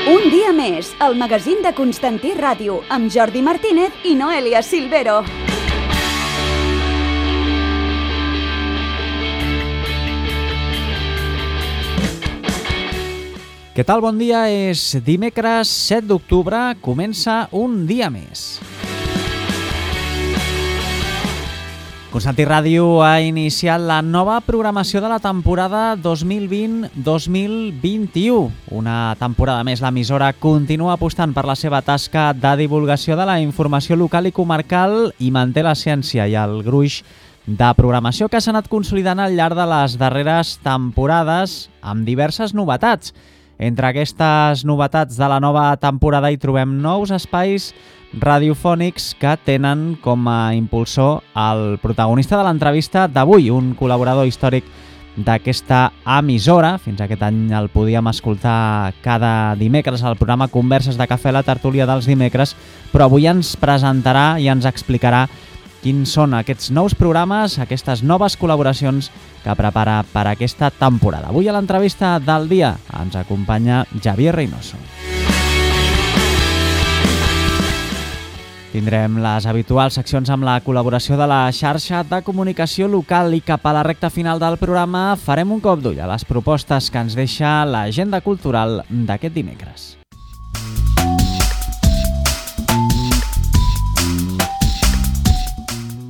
Un dia més, el magazín de Constantí Ràdio, amb Jordi Martínez i Noelia Silvero. Què tal? Bon dia, és dimecres 7 d'octubre, comença un dia més. Constantí Ràdio ha iniciat la nova programació de la temporada 2020-2021. Una temporada més, l'emissora continua apostant per la seva tasca de divulgació de la informació local i comarcal i manté l'essència i el gruix de programació que s'ha anat consolidant al llarg de les darreres temporades amb diverses novetats. Entre aquestes novetats de la nova temporada hi trobem nous espais radiofònics que tenen com a impulsor el protagonista de l'entrevista d'avui, un col·laborador històric d'aquesta emissora. Fins aquest any el podíem escoltar cada dimecres al programa Converses de Cafè, la tertúlia dels dimecres, però avui ens presentarà i ens explicarà quins són aquests nous programes, aquestes noves col·laboracions que prepara per aquesta temporada. Avui a l'entrevista del dia ens acompanya Javier Reynoso. Tindrem les habituals seccions amb la col·laboració de la xarxa de comunicació local i cap a la recta final del programa farem un cop d'ull a les propostes que ens deixa l'agenda cultural d'aquest dimecres.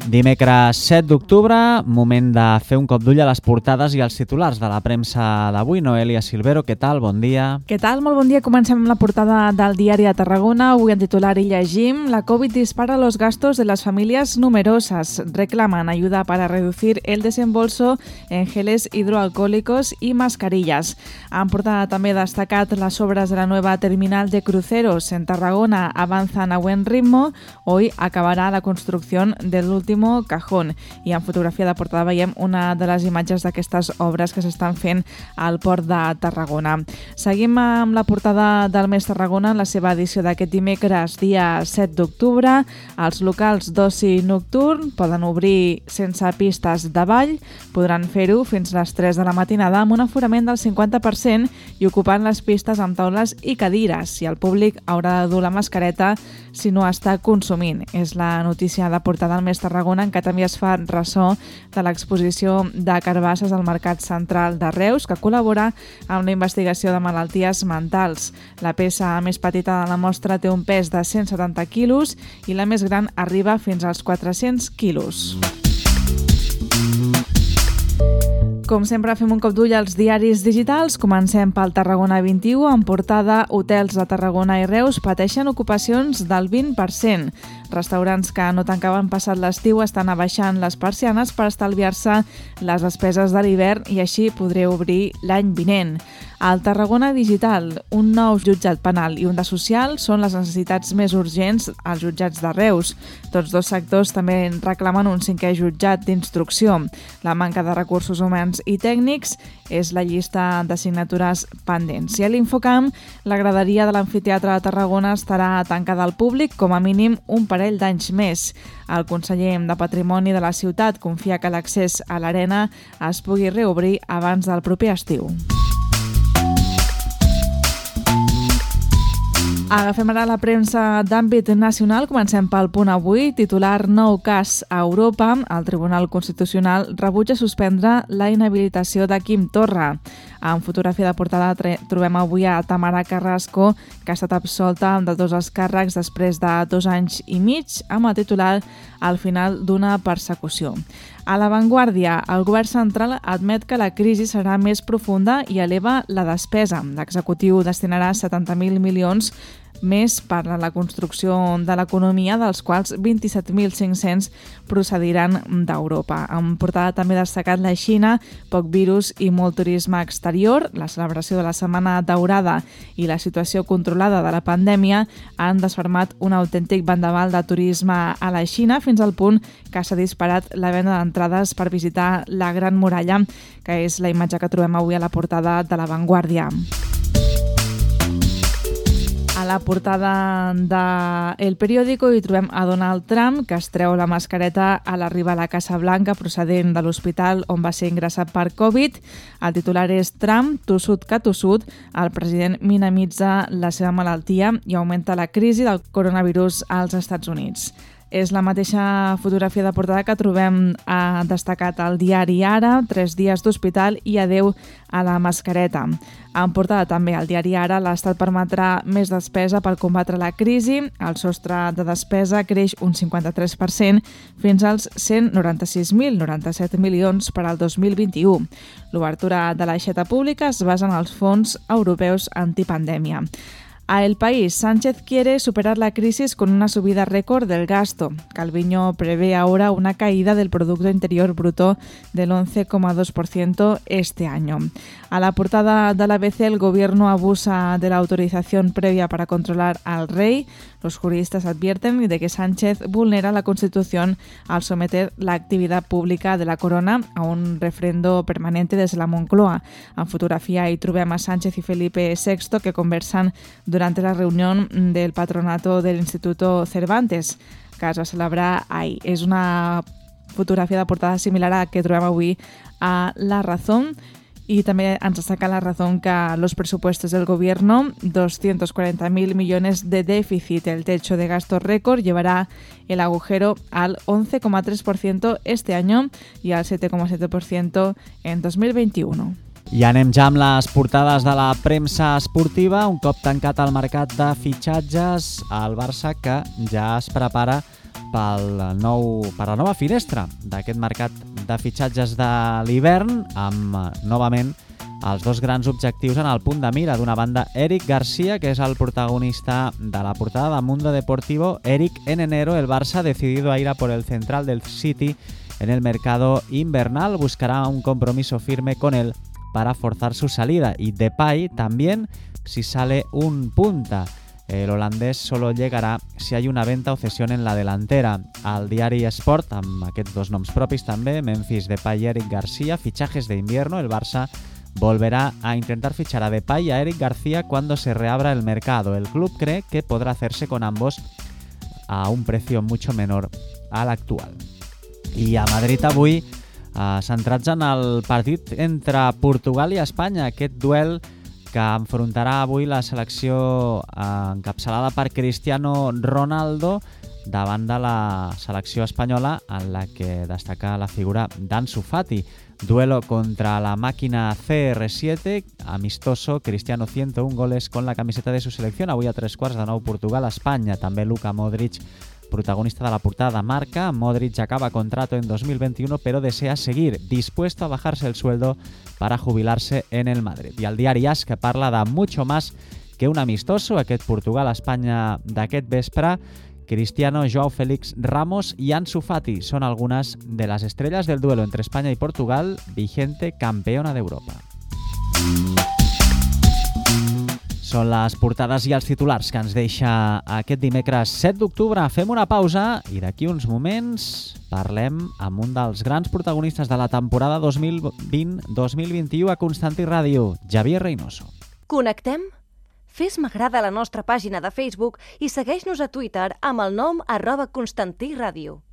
Dimecres 7 d'octubre, moment de fer un cop d'ull a les portades i els titulars de la premsa d'avui. Noelia Silvero, què tal? Bon dia. Què tal? Molt bon dia. Comencem amb la portada del Diari de Tarragona. Avui en titular hi llegim: la COVID dispara los gastos de las familias numerosas. Reclaman ayuda para reducir el desembolso en geles hidroalcohólicos y mascarillas. En portada també destacat las obras de la nueva terminal de cruceros en Tarragona avanzan a buen ritmo. Hoy acabará la construcción del último cajón. I en fotografia de portada veiem una de les imatges d'aquestes obres que s'estan fent al port de Tarragona. Seguim amb la portada del Mes Tarragona en la seva edició d'aquest dimecres, dia 7 d'octubre. Els locals d'oci nocturn poden obrir sense pistes de ball, podran fer-ho fins a les 3 de la matinada amb un aforament del 50% i ocupant les pistes amb taules i cadires, i el públic haurà de dur la mascareta si no està consumint. És la notícia de portada del Mes Tarragona, en què també es fa ressò de l'exposició de carbasses al Mercat Central de Reus, que col·labora amb la investigació de malalties mentals. La peça més petita de la mostra té un pes de 170 quilos i la més gran arriba fins als 400 quilos. Com sempre, fem un cop d'ull als diaris digitals. Comencem pel Tarragona 21. En portada, hotels de Tarragona i Reus pateixen ocupacions del 20%. Restaurants que no tancaven passat l'estiu estan abaixant les persianes per estalviar-se les despeses de l'hivern i així podré obrir l'any vinent. Al Tarragona Digital, un nou jutjat penal i un de social són les necessitats més urgents als jutjats de Reus. Tots dos sectors també reclamen un 5è jutjat d'instrucció. La manca de recursos humans i tècnics és la llista d'assignatures pendents. I a l'Infocamp, la graderia de l'Amfiteatre de Tarragona estarà tancada al públic com a mínim un parell d'anys més. El conseller de Patrimoni de la ciutat confia que l'accés a l'arena es pugui reobrir abans del proper estiu. Agafem ara la premsa d'àmbit nacional. Comencem pel Punt Avui. Titular: nou cas a Europa. El Tribunal Constitucional rebutja suspendre la inhabilitació de Quim Torra. En fotografia de portada trobem avui a Tamara Carrasco, que ha estat absolta de tots els càrrecs després de 2 anys i mig, amb el titular: al final d'una persecució. A La Vanguardia, el govern central admet que la crisi serà més profunda i eleva la despesa. L'executiu destinarà 70.000 milions més per a la construcció de l'economia, dels quals 27.500 procediran d'Europa. En portada també destacat la Xina, poc virus i molt turisme exterior. La celebració de la Setmana Daurada i la situació controlada de la pandèmia han desfermat un autèntic vendaval de turisme a la Xina, fins al punt que s'ha disparat la venda d'entrades per visitar la Gran Muralla, que és la imatge que trobem avui a la portada de La Vanguardia. A la portada de El Periódico hi trobem a Donald Trump, que es treu la mascareta a l'arribar a la Casa Blanca procedent de l'hospital on va ser ingressat per Covid. El titular és Trump, tossut que tossut. El president minimitza la seva malaltia i augmenta la crisi del coronavirus als Estats Units. És la mateixa fotografia de portada que trobem destacat al diari Ara, 3 dies d'hospital i adeu a la mascareta. En portada també al diari Ara, l'Estat permetrà més despesa per combatre la crisi. El sostre de despesa creix un 53% fins als 196.097 milions per al 2021. L'obertura de l'aixeta pública es basa en els fons europeus antipandèmia. A El País, Sánchez quiere superar la crisis con una subida récord del gasto. Calviño prevé ahora una caída del Producto Interior Bruto del 11,2% este año. A la portada de la ABC, el gobierno abusa de la autorización previa para controlar al rey. Los juristas advierten de que Sánchez vulnera la Constitución al someter la actividad pública de la corona a un refrendo permanente desde la Moncloa. En fotografía hi trobem a Sánchez y Felipe VI que conversan durante la reunión del patronato del Instituto Cervantes, que es va celebrar ahir. És una fotografia de portada similar a la que trobem avui a La Razón. Y también ens destaca La Razón que los presupuestos del gobierno, 240.000 millones de déficit. El techo de gasto récord llevará el agujero al 11,3% este año y al 7,7% en 2021. I anem ja amb les portades de la premsa esportiva. Un cop tancat el mercat de fitxatges, el Barça que ja es prepara per la nova finestra d'aquest mercat de fitxatges de l'hivern, amb novament els dos grans objectius en el punt de mira. D'una banda, Eric García, que és el protagonista de la portada de Mundo Deportivo. Eric, en enero el Barça, decidido a ir a por el central del City en el mercado invernal, buscará un compromiso firme con él para forzar su salida. Y Depay también, si sale un punta. El holandés solo llegará si hay una venta o cesión en la delantera. Al diari Sport, amb aquests dos noms propis també, Memphis Depay y Eric García, fichajes de invierno. El Barça volverá a intentar fichar a Depay y a Eric García cuando se reabra el mercado. El club cree que podrá hacerse con ambos a un precio mucho menor al actual. I a Madrid avui, centrats en el partit entre Portugal i Espanya, aquest duel que enfrontarà avui la selecció encapçalada per Cristiano Ronaldo davant de la selecció espanyola, en la que destaca la figura d'Ansu Fati. Duelo contra la máquina CR7, amistoso, Cristiano 101 goles con la camiseta de su selección. Avui a 3:15 de nou Portugal-Espanya. També Luka Modric, protagonista de la portada, marca. Modric acaba contrato en 2021, pero desea seguir, dispuesto a bajarse el sueldo para jubilarse en el Madrid. I el diari AS, que parla de mucho más que un amistoso, aquest Portugal-Espanya d'aquest vespre. Cristiano, Joao Félix, Ramos y Ansu Fati son algunas de las estrellas del duelo entre España y Portugal, vigente campeona d'Europa. Són les portades i els titulars que ens deixa aquest dimecres 7 d'octubre. Fem una pausa i d'aquí uns moments parlem amb un dels grans protagonistes de la temporada 2020-2021 a Constantí Ràdio, Javier Reynoso. Connectem? Fes m'agrada a la nostra pàgina de Facebook i segueix-nos a Twitter amb el nom @ConstantíRàdio.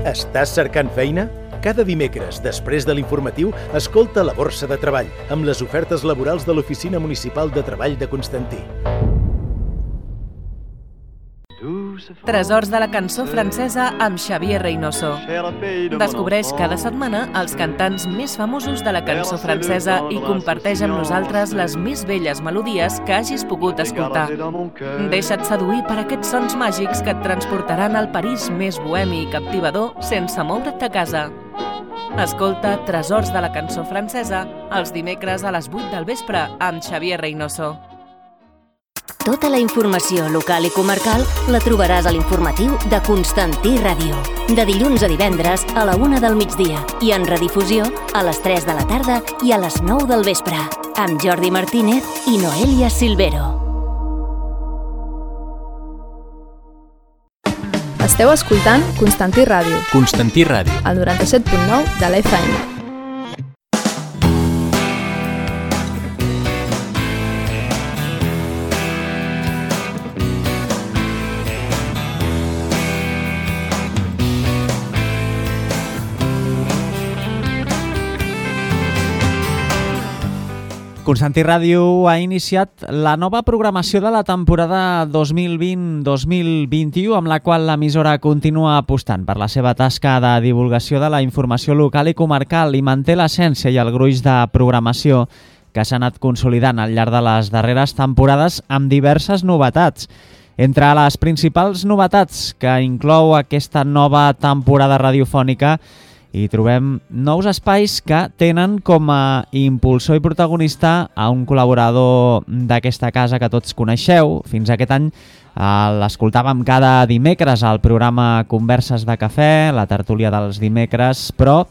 Estàs cercant feina? Cada dimecres, després de l'informatiu, escolta La Borsa de Treball, amb les ofertes laborals de l'Oficina Municipal de Treball de Constantí. Tresors de la cançó francesa amb Xavier Reynoso. Descobreix cada setmana els cantants més famosos de la cançó francesa i comparteix amb nosaltres les més belles melodies que hagis pogut escoltar. Deixa't seduir per aquests sons màgics que et transportaran al París més bohemi i captivador sense moure't de casa. Escolta Tresors de la cançó francesa els dimecres a les 8 del vespre amb Xavier Reynoso. Tota la informació local i comarcal la trobaràs a l'informatiu de Constantí Ràdio. De dilluns a divendres a la 1 del migdia i en redifusió a les 3 de la tarda i a les 9 del vespre. Amb Jordi Martínez i Noelia Silvero. Esteu escoltant Constantí Ràdio. Constantí Ràdio. El 97.9 de la FM. Constantí Ràdio ha iniciat la nova programació de la temporada 2020-2021, amb la qual l'emissora continua apostant per la seva tasca de divulgació de la informació local i comarcal i manté l'essència i el gruix de programació que s'ha anat consolidant al llarg de les darreres temporades amb diverses novetats. Entre les principals novetats que inclou aquesta nova temporada radiofònica hi trobem nous espais que tenen com a impulsor i protagonista a un col·laborador d'aquesta casa que tots coneixeu. Fins aquest any l'escoltàvem cada dimecres al programa Converses de Cafè, la tertúlia dels dimecres, però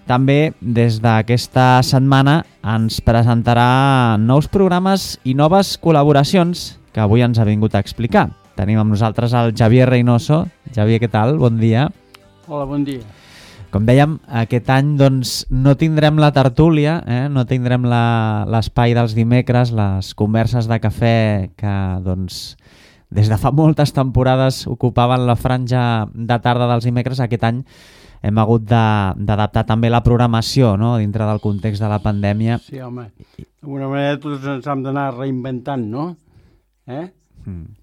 també des d'aquesta setmana ens presentarà nous programes i noves col·laboracions que avui ens ha vingut a explicar. Tenim amb nosaltres el Xavier Reynoso. Xavier, què tal? Bon dia. Hola, bon dia. Com dèiem, aquest any doncs, no tindrem la tertúlia, no tindrem l'espai dels dimecres, les converses de cafè que doncs, des de fa moltes temporades ocupaven la franja de tarda dels dimecres. Aquest any hem hagut d'adaptar també la programació, no?, dintre del context de la pandèmia. Sí, home, d'alguna manera tots ens hem d'anar reinventant, no?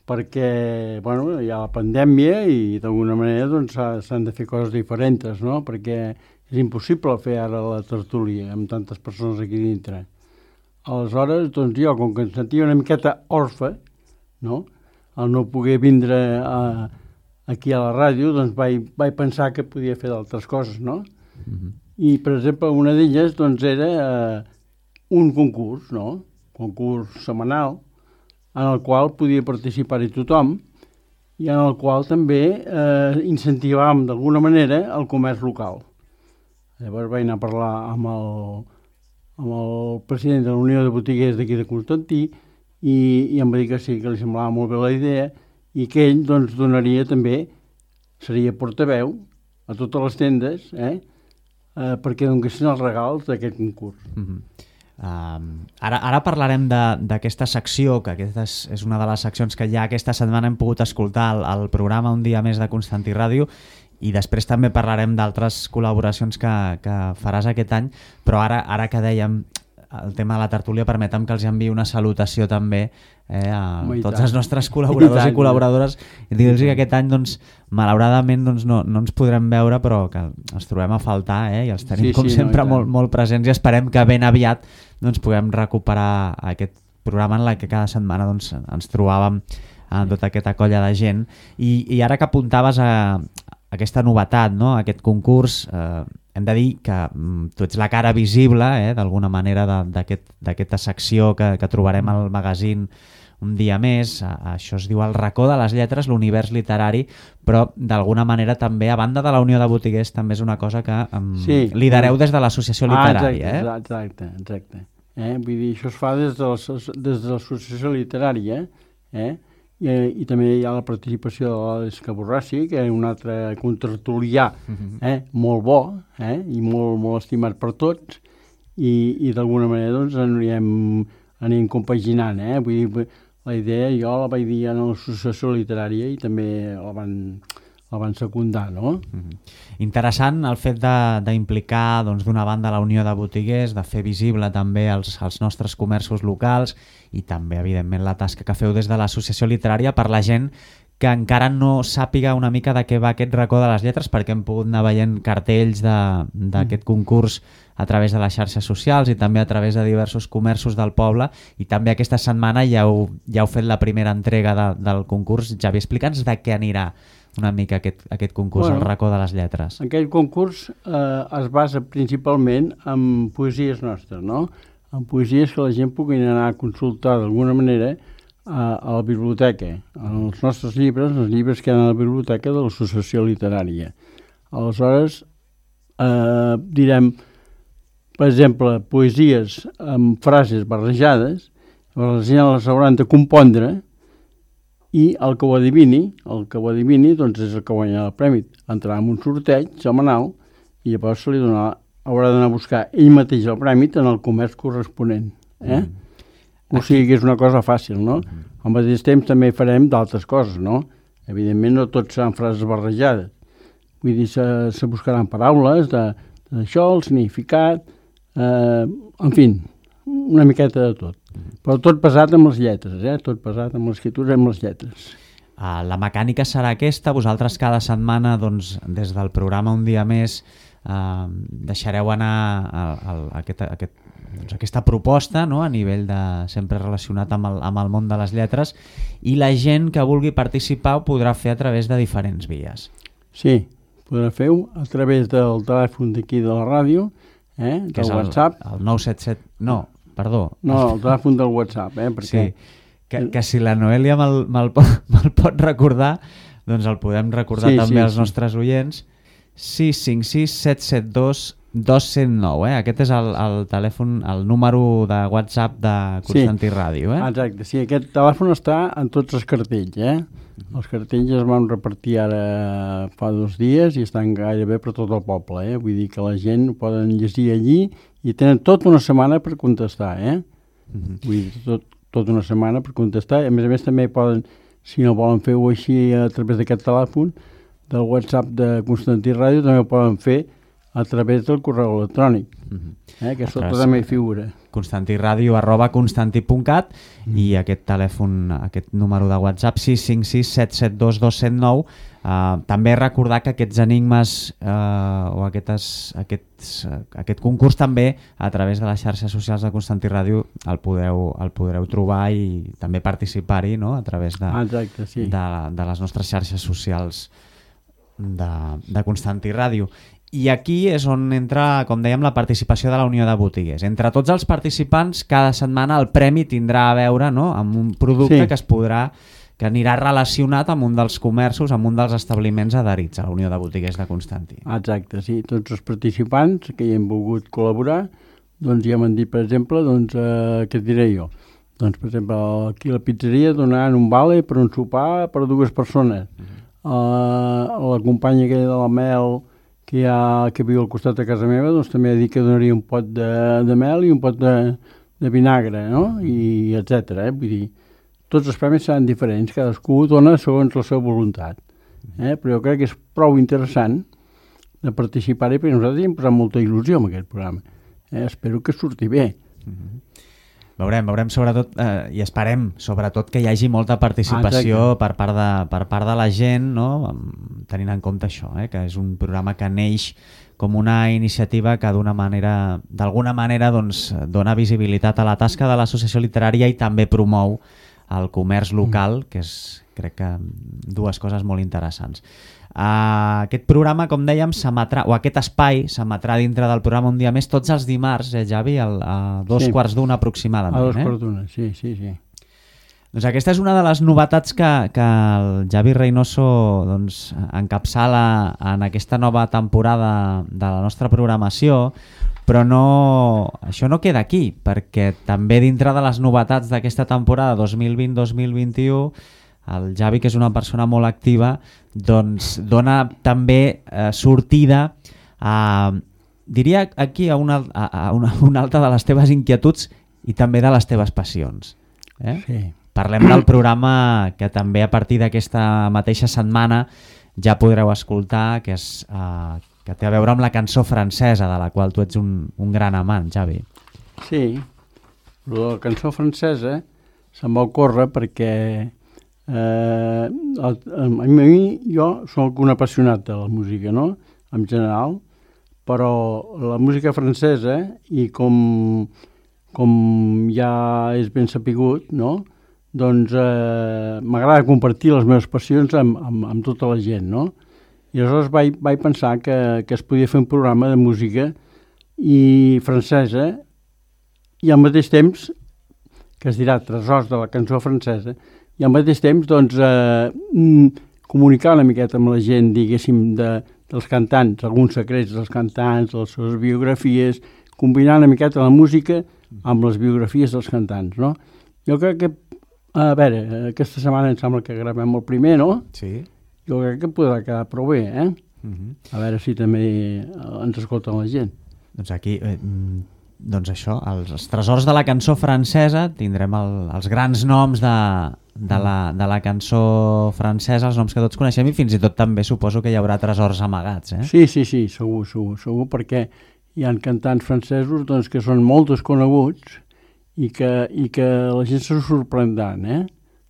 Perquè bueno, hi ha la pandèmia i d'alguna manera doncs, s'han de fer coses diferents, no? Perquè és impossible fer ara la tertúlia amb tantes persones aquí dintre. Aleshores, doncs jo, com que em sentia una miqueta orfe, no? Al no poder vindre aquí a la ràdio, doncs vaig pensar que podia fer d'altres coses, no? I, per exemple, una d'elles doncs, era un concurs, no? Concurs setmanal, en el qual podia participar-hi tothom i en el qual també incentivàvem d'alguna manera el comerç local. Llavors vaig anar a parlar amb el president de la Unió de Botiguers d'aquí de Constantí i em va dir que sí, que li semblava molt bé la idea i que ell doncs, donaria també, seria portaveu a totes les tendes perquè donessin els regals d'aquest concurs. Ara parlarem d'aquesta secció, que aquesta és una de les seccions que ja aquesta setmana hem pogut escoltar al programa Un dia més de Constantí Ràdio, i després també parlarem d'altres col·laboracions que faràs aquest any, però ara que dèiem el tema de la tertúlia, permetem que els enviï una salutació també a tots els nostres col·laboradors i col·laboradores i dir-los que aquest any doncs, malauradament doncs, no ens podrem veure, però que els trobem a faltar i els tenim sempre molt presents i esperem que ben aviat doncs, puguem recuperar aquest programa en què cada setmana doncs, ens trobàvem amb tota aquesta colla de gent. I ara que apuntaves a aquesta novetat, no? Aquest concurs, hem de dir que tu ets la cara visible d'alguna manera d'aquesta secció que trobarem al magazín Un dia més. Això es diu El racó de les lletres, l'univers literari, però d'alguna manera també, a banda de la Unió de Botiguers, també és una cosa que lidereu des de l'associació literària. Exacte. Vull dir, això es fa des de l'associació literària i també hi ha la participació de l'Esca Borrassi, que és un altre contertulià molt bo i molt estimat per tots i d'alguna manera doncs anirem compaginant. Vull dir, la idea jo la vaig dir a l'associació literària i també la van secundar, no? Interessant el fet d'implicar d'una banda la Unió de Botiguers, de fer visible també els nostres comerços locals i també, evidentment, la tasca que feu des de l'associació literària per la gent que encara no sàpiga una mica de què va aquest racó de les lletres, perquè hem pogut anar veient cartells d'aquest concurs a través de les xarxes socials i també a través de diversos comerços del poble, i també aquesta setmana ja heu fet la primera entrega del concurs. Xavi, explica'ns de què anirà una mica aquest concurs, el racó de les lletres. Aquest concurs es basa principalment en poesies nostres, no? En poesies que la gent pugui anar a consultar d'alguna manera a la biblioteca, els nostres llibres, els llibres que hi ha a la biblioteca de l'associació literària. Aleshores, direm, per exemple, poesies amb frases barrejades, les gent les hauran de compondre i el que ho adivini doncs és el que guanya el premi. Entrarà en un sorteig setmanal i llavors se li haurà d'anar a buscar ell mateix el premi en el comerç corresponent. O sigui que és una cosa fàcil, no? Al mateix temps també farem d'altres coses, no? Evidentment no tots seran frases barrejades. Vull dir, se buscaran paraules d'això, el significat, en fi, una miqueta de tot. Però tot pesat amb les lletres, tot pesat amb l'escriptura i amb les lletres. La mecànica serà aquesta. Vosaltres cada setmana, doncs, des del programa Un dia més, deixareu anar aquesta proposta, no? A nivell de sempre relacionat amb el món de les lletres, i la gent que vulgui participar ho podrà fer a través de diferents vies. Sí, podrà fer-ho a través del telèfon d'aquí de la ràdio, del WhatsApp. El 977... No, perdó. No, el telèfon del WhatsApp, perquè... Sí, que si la Noelia me'l pot recordar, doncs el podem recordar també als nostres oients. 656 772 209, Aquest és el telèfon, el número de WhatsApp de Constantí Ràdio, Exacte, sí, aquest telèfon està en tots els cartells, Els cartells es van repartir ara fa 2 dies i estan gairebé per tot el poble, Vull dir que la gent ho poden llegir allí i tenen tota una setmana per contestar, Vull dir, tota una setmana per contestar. A més també poden, si no volen fer-ho així a través d'aquest telèfon, del WhatsApp de Constantí Ràdio, també ho poden fer a través del correu electrònic, que sota també hi figura. constantiradio@constanti.cat i aquest telèfon, aquest número de WhatsApp 656 772 209. També recordar que aquests enigmes o aquest concurs també a través de les xarxes socials de Constantí Ràdio el podreu trobar i també participar-hi, no? A través de les nostres xarxes socials de Constantí Ràdio. I aquí és on entra, com dèiem, la participació de la Unió de Botiguers. Entre tots els participants, cada setmana el premi tindrà a veure, no?, amb un producte que anirà relacionat amb un dels comerços, amb un dels establiments adherits a la Unió de Botiguers de Constantí. Exacte, sí. Tots els participants que hi hem volgut col·laborar, doncs ja m'han dit, per exemple, què et diré jo? Doncs, per exemple, aquí a la pizzeria donaran un vale per un sopar per 2 persones. La companya aquella de la Mel, que viu al costat de casa meva, doncs també ha dit que donaria un pot de mel i un pot de vinagre, no? I etcètera, Vull dir, tots els premis seran diferents, cadascú dona segons la seva voluntat. Però jo crec que és prou interessant de participar-hi, perquè nosaltres hi hem posat molta il·lusió en aquest programa. Espero que surti bé. Veurem sobretot, i esperem sobretot que hi hagi molta participació per part de la gent, no? Tenint en compte això, que és un programa que neix com una iniciativa que d'alguna manera doncs, dona visibilitat a la tasca de l'associació literària i també promou el comerç local, que és, crec que, 2 coses molt interessants. Aquest programa, com dèiem, o aquest espai s'emetrà dintre del programa Un dia més tots els dimarts, Javi, a 2:15 aproximadament. A 2:15, sí. Doncs aquesta és una de les novetats que el Javi Reynoso doncs, encapçala en aquesta nova temporada de la nostra programació, però això no queda aquí, perquè també dintre de les novetats d'aquesta temporada 2020-2021 el Javi, que és una persona molt activa, doncs dona també sortida diria aquí a una altra de les teves inquietuds i també de les teves passions. Sí. Parlem del programa que també a partir d'aquesta mateixa setmana ja podreu escoltar, que té a veure amb la cançó francesa, de la qual tu ets un gran amant, Javi. Sí, la cançó francesa se'm va ocórrer perquè jo soc un apassionat de la música, no?, en general, però la música francesa, i com ja és ben sapigut, no?, doncs m'agrada compartir les meves passions amb tota la gent, no? I aleshores vaig pensar que es podia fer un programa de música i francesa i al mateix temps, que es dirà Tresors de la cançó francesa, i al mateix temps doncs, comunicar una miqueta amb la gent, diguéssim, dels cantants, alguns secrets dels cantants, les seves biografies, combinar una miqueta la música amb les biografies dels cantants, no? Jo crec que, a veure, aquesta setmana em sembla que gravem el primer, no? Sí. Jo crec que podrà quedar prou bé, A veure si també ens escolta la gent. Doncs aquí... Doncs això, els tresors de la cançó francesa, tindrem els grans noms de la cançó francesa, els noms que tots coneixem, i fins i tot també suposo que hi haurà tresors amagats, Sí, segur, perquè hi ha cantants francesos doncs, que són molt desconeguts i que la gent se sorprendran,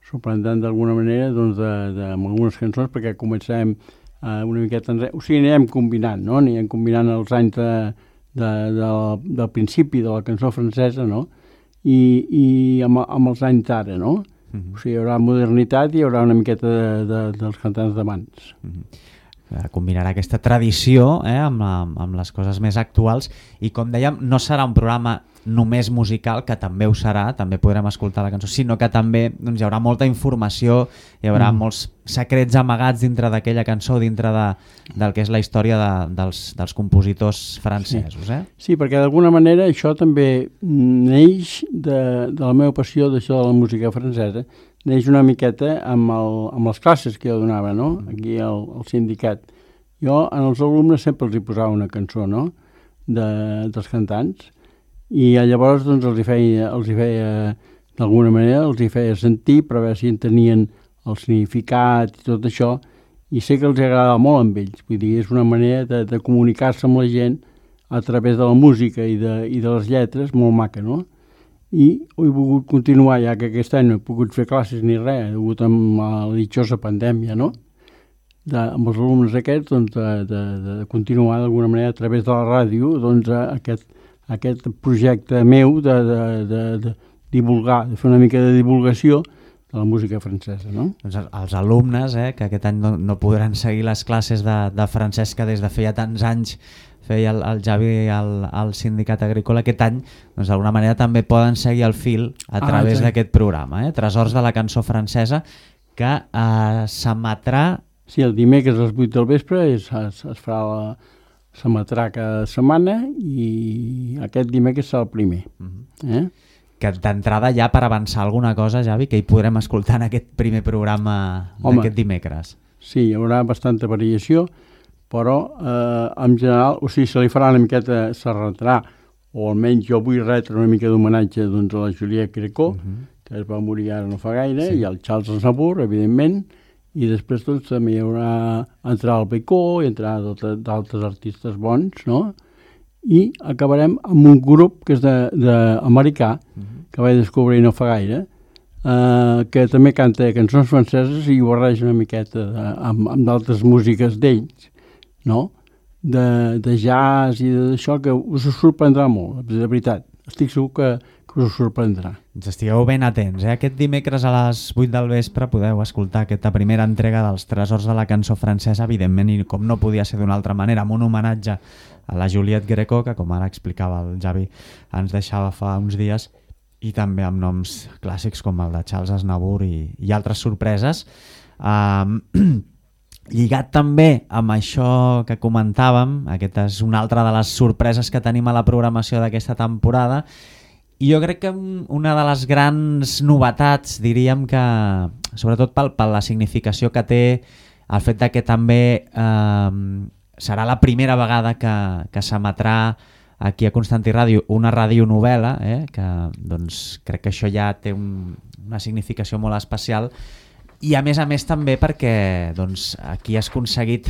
sorprendran d'alguna manera doncs, amb algunes cançons, perquè començarem una miqueta enrere, o sigui, anirem combinant, no? Anirem combinant els anys del principi de la cançó francesa, no? I amb els anys d'ara, no? O sigui, hi haurà modernitat i hi haurà una miqueta dels cantants d'abans. Combinarà aquesta tradició amb les coses més actuals i, com dèiem, no serà un programa només musical, que també ho serà, també podrem escoltar la cançó, sinó que també doncs, hi haurà molta informació, hi haurà molts secrets amagats dintre d'aquella cançó, dintre del que és la història dels compositors francesos. Sí, perquè d'alguna manera això també neix de la meva passió d'això de la música francesa, neix una miqueta amb les classes que jo donava, no? Aquí al sindicat. Jo als alumnes sempre els hi posava una cançó, no? Dels cantants, i llavors doncs, els hi feia d'alguna manera, els hi feia sentir per veure si entenien el significat i tot això, i sé que els agradava molt amb ells. Vull dir, és una manera de comunicar-se amb la gent a través de la música i de les lletres, molt maca, no? I ho he volgut continuar, ja que aquest any no he pogut fer classes ni res, he hagut amb la ditjosa pandèmia, no? Amb els alumnes aquests, doncs, de continuar d'alguna manera a través de la ràdio, doncs, aquest projecte meu de divulgar, de fer una mica de divulgació de la música francesa, no? Doncs els alumnes, que aquest any no podran seguir les classes de francès que des de feia tants anys feia el Javi al Sindicat Agrícola, aquest any, doncs d'alguna manera també poden seguir el fil a través d'aquest programa, Tresors de la cançó francesa, que s'emetrà... Sí, el dimecres a les 8 del vespre es farà s'emetrà cada setmana i aquest dimecres serà el primer. Que d'entrada ja, per avançar alguna cosa, Javi, que hi podrem escoltar en aquest primer programa d'aquest dimecres. Sí, hi haurà bastanta variació, però en general, o sigui, se li farà una miqueta, s'arretrà, o almenys jo vull retre una mica d'homenatge doncs, a la Juliette Gréco, que es va morir ara no fa gaire, i al Charles Aznavour, evidentment, i després doncs, també hi haurà entrar al Becó i entrar d'altres artistes bons, no? I acabarem amb un grup que és d'americà, que vaig descobrir no fa gaire, que també canta cançons franceses i ho barreja una miqueta amb d'altres músiques d'ells, no? De jazz i d'això, que us sorprendrà molt, de veritat. Estic segur que us sorprendrà. Ens estigueu ben atents. Aquest dimecres a les 8 del vespre podeu escoltar aquesta primera entrega dels Tresors de la cançó francesa, evidentment, i com no podia ser d'una altra manera, amb un homenatge a la Juliette Gréco, que com ara explicava el Javi, ens deixava fa uns dies, i també amb noms clàssics com el de Charles Aznavour i altres sorpreses. Lligat també amb això que comentàvem, aquesta és una altra de les sorpreses que tenim a la programació d'aquesta temporada, i jo crec que una de les grans novetats, diríem que, sobretot per la significació que té el fet que també serà la primera vegada que s'emetrà aquí a Constantí Ràdio una radionovel·la, que doncs, crec que això ja té una significació molt especial, i a més també perquè doncs, aquí has aconseguit,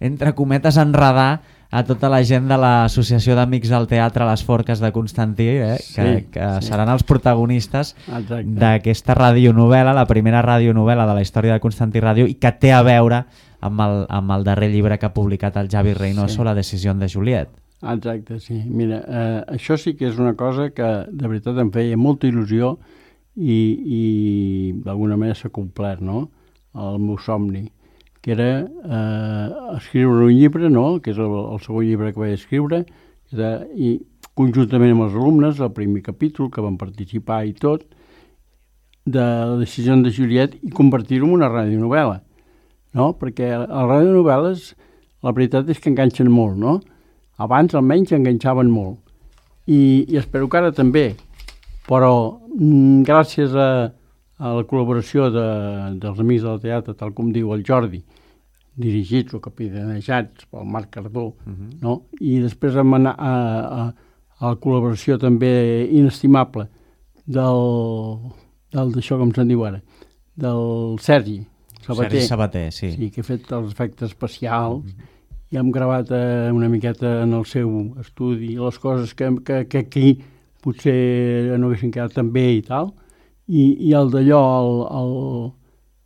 entre cometes, enredar a tota la gent de l'Associació d'Amics del Teatre Les Forques de Constantí, que seran els protagonistes d'aquesta radionovel·la, la primera radionovel·la de la història de Constantí Ràdio, i que té a veure amb el darrer llibre que ha publicat el Javi Reynoso, La decisió de Juliette. Exacte, sí. Mira, això sí que és una cosa que de veritat em feia molta il·lusió i d'alguna manera s'ha complert, no?, el meu somni, que era escriure un llibre, no?, que és el segon llibre que vaig escriure, i conjuntament amb els alumnes, el primer capítol, que van participar i tot, de La decisió de Juliette, i convertir-ho en una radionovel·la, no?, perquè les radionovel·les, la veritat és que enganxen molt, no?, abans almenys enganxaven molt, i espero que ara també, però gràcies a la col·laboració dels Amics del Teatre, tal com diu el Jordi, dirigits o capitanejats pel Marc Cardó, no? I després vam anar a la col·laboració també inestimable d'això, com se'n diu ara, del Sergi Sabater, sí. Sí, que ha fet els efectes especials, i hem gravat una miqueta en el seu estudi les coses que aquí potser no haguessin quedat tan bé i tal, i el d'allò,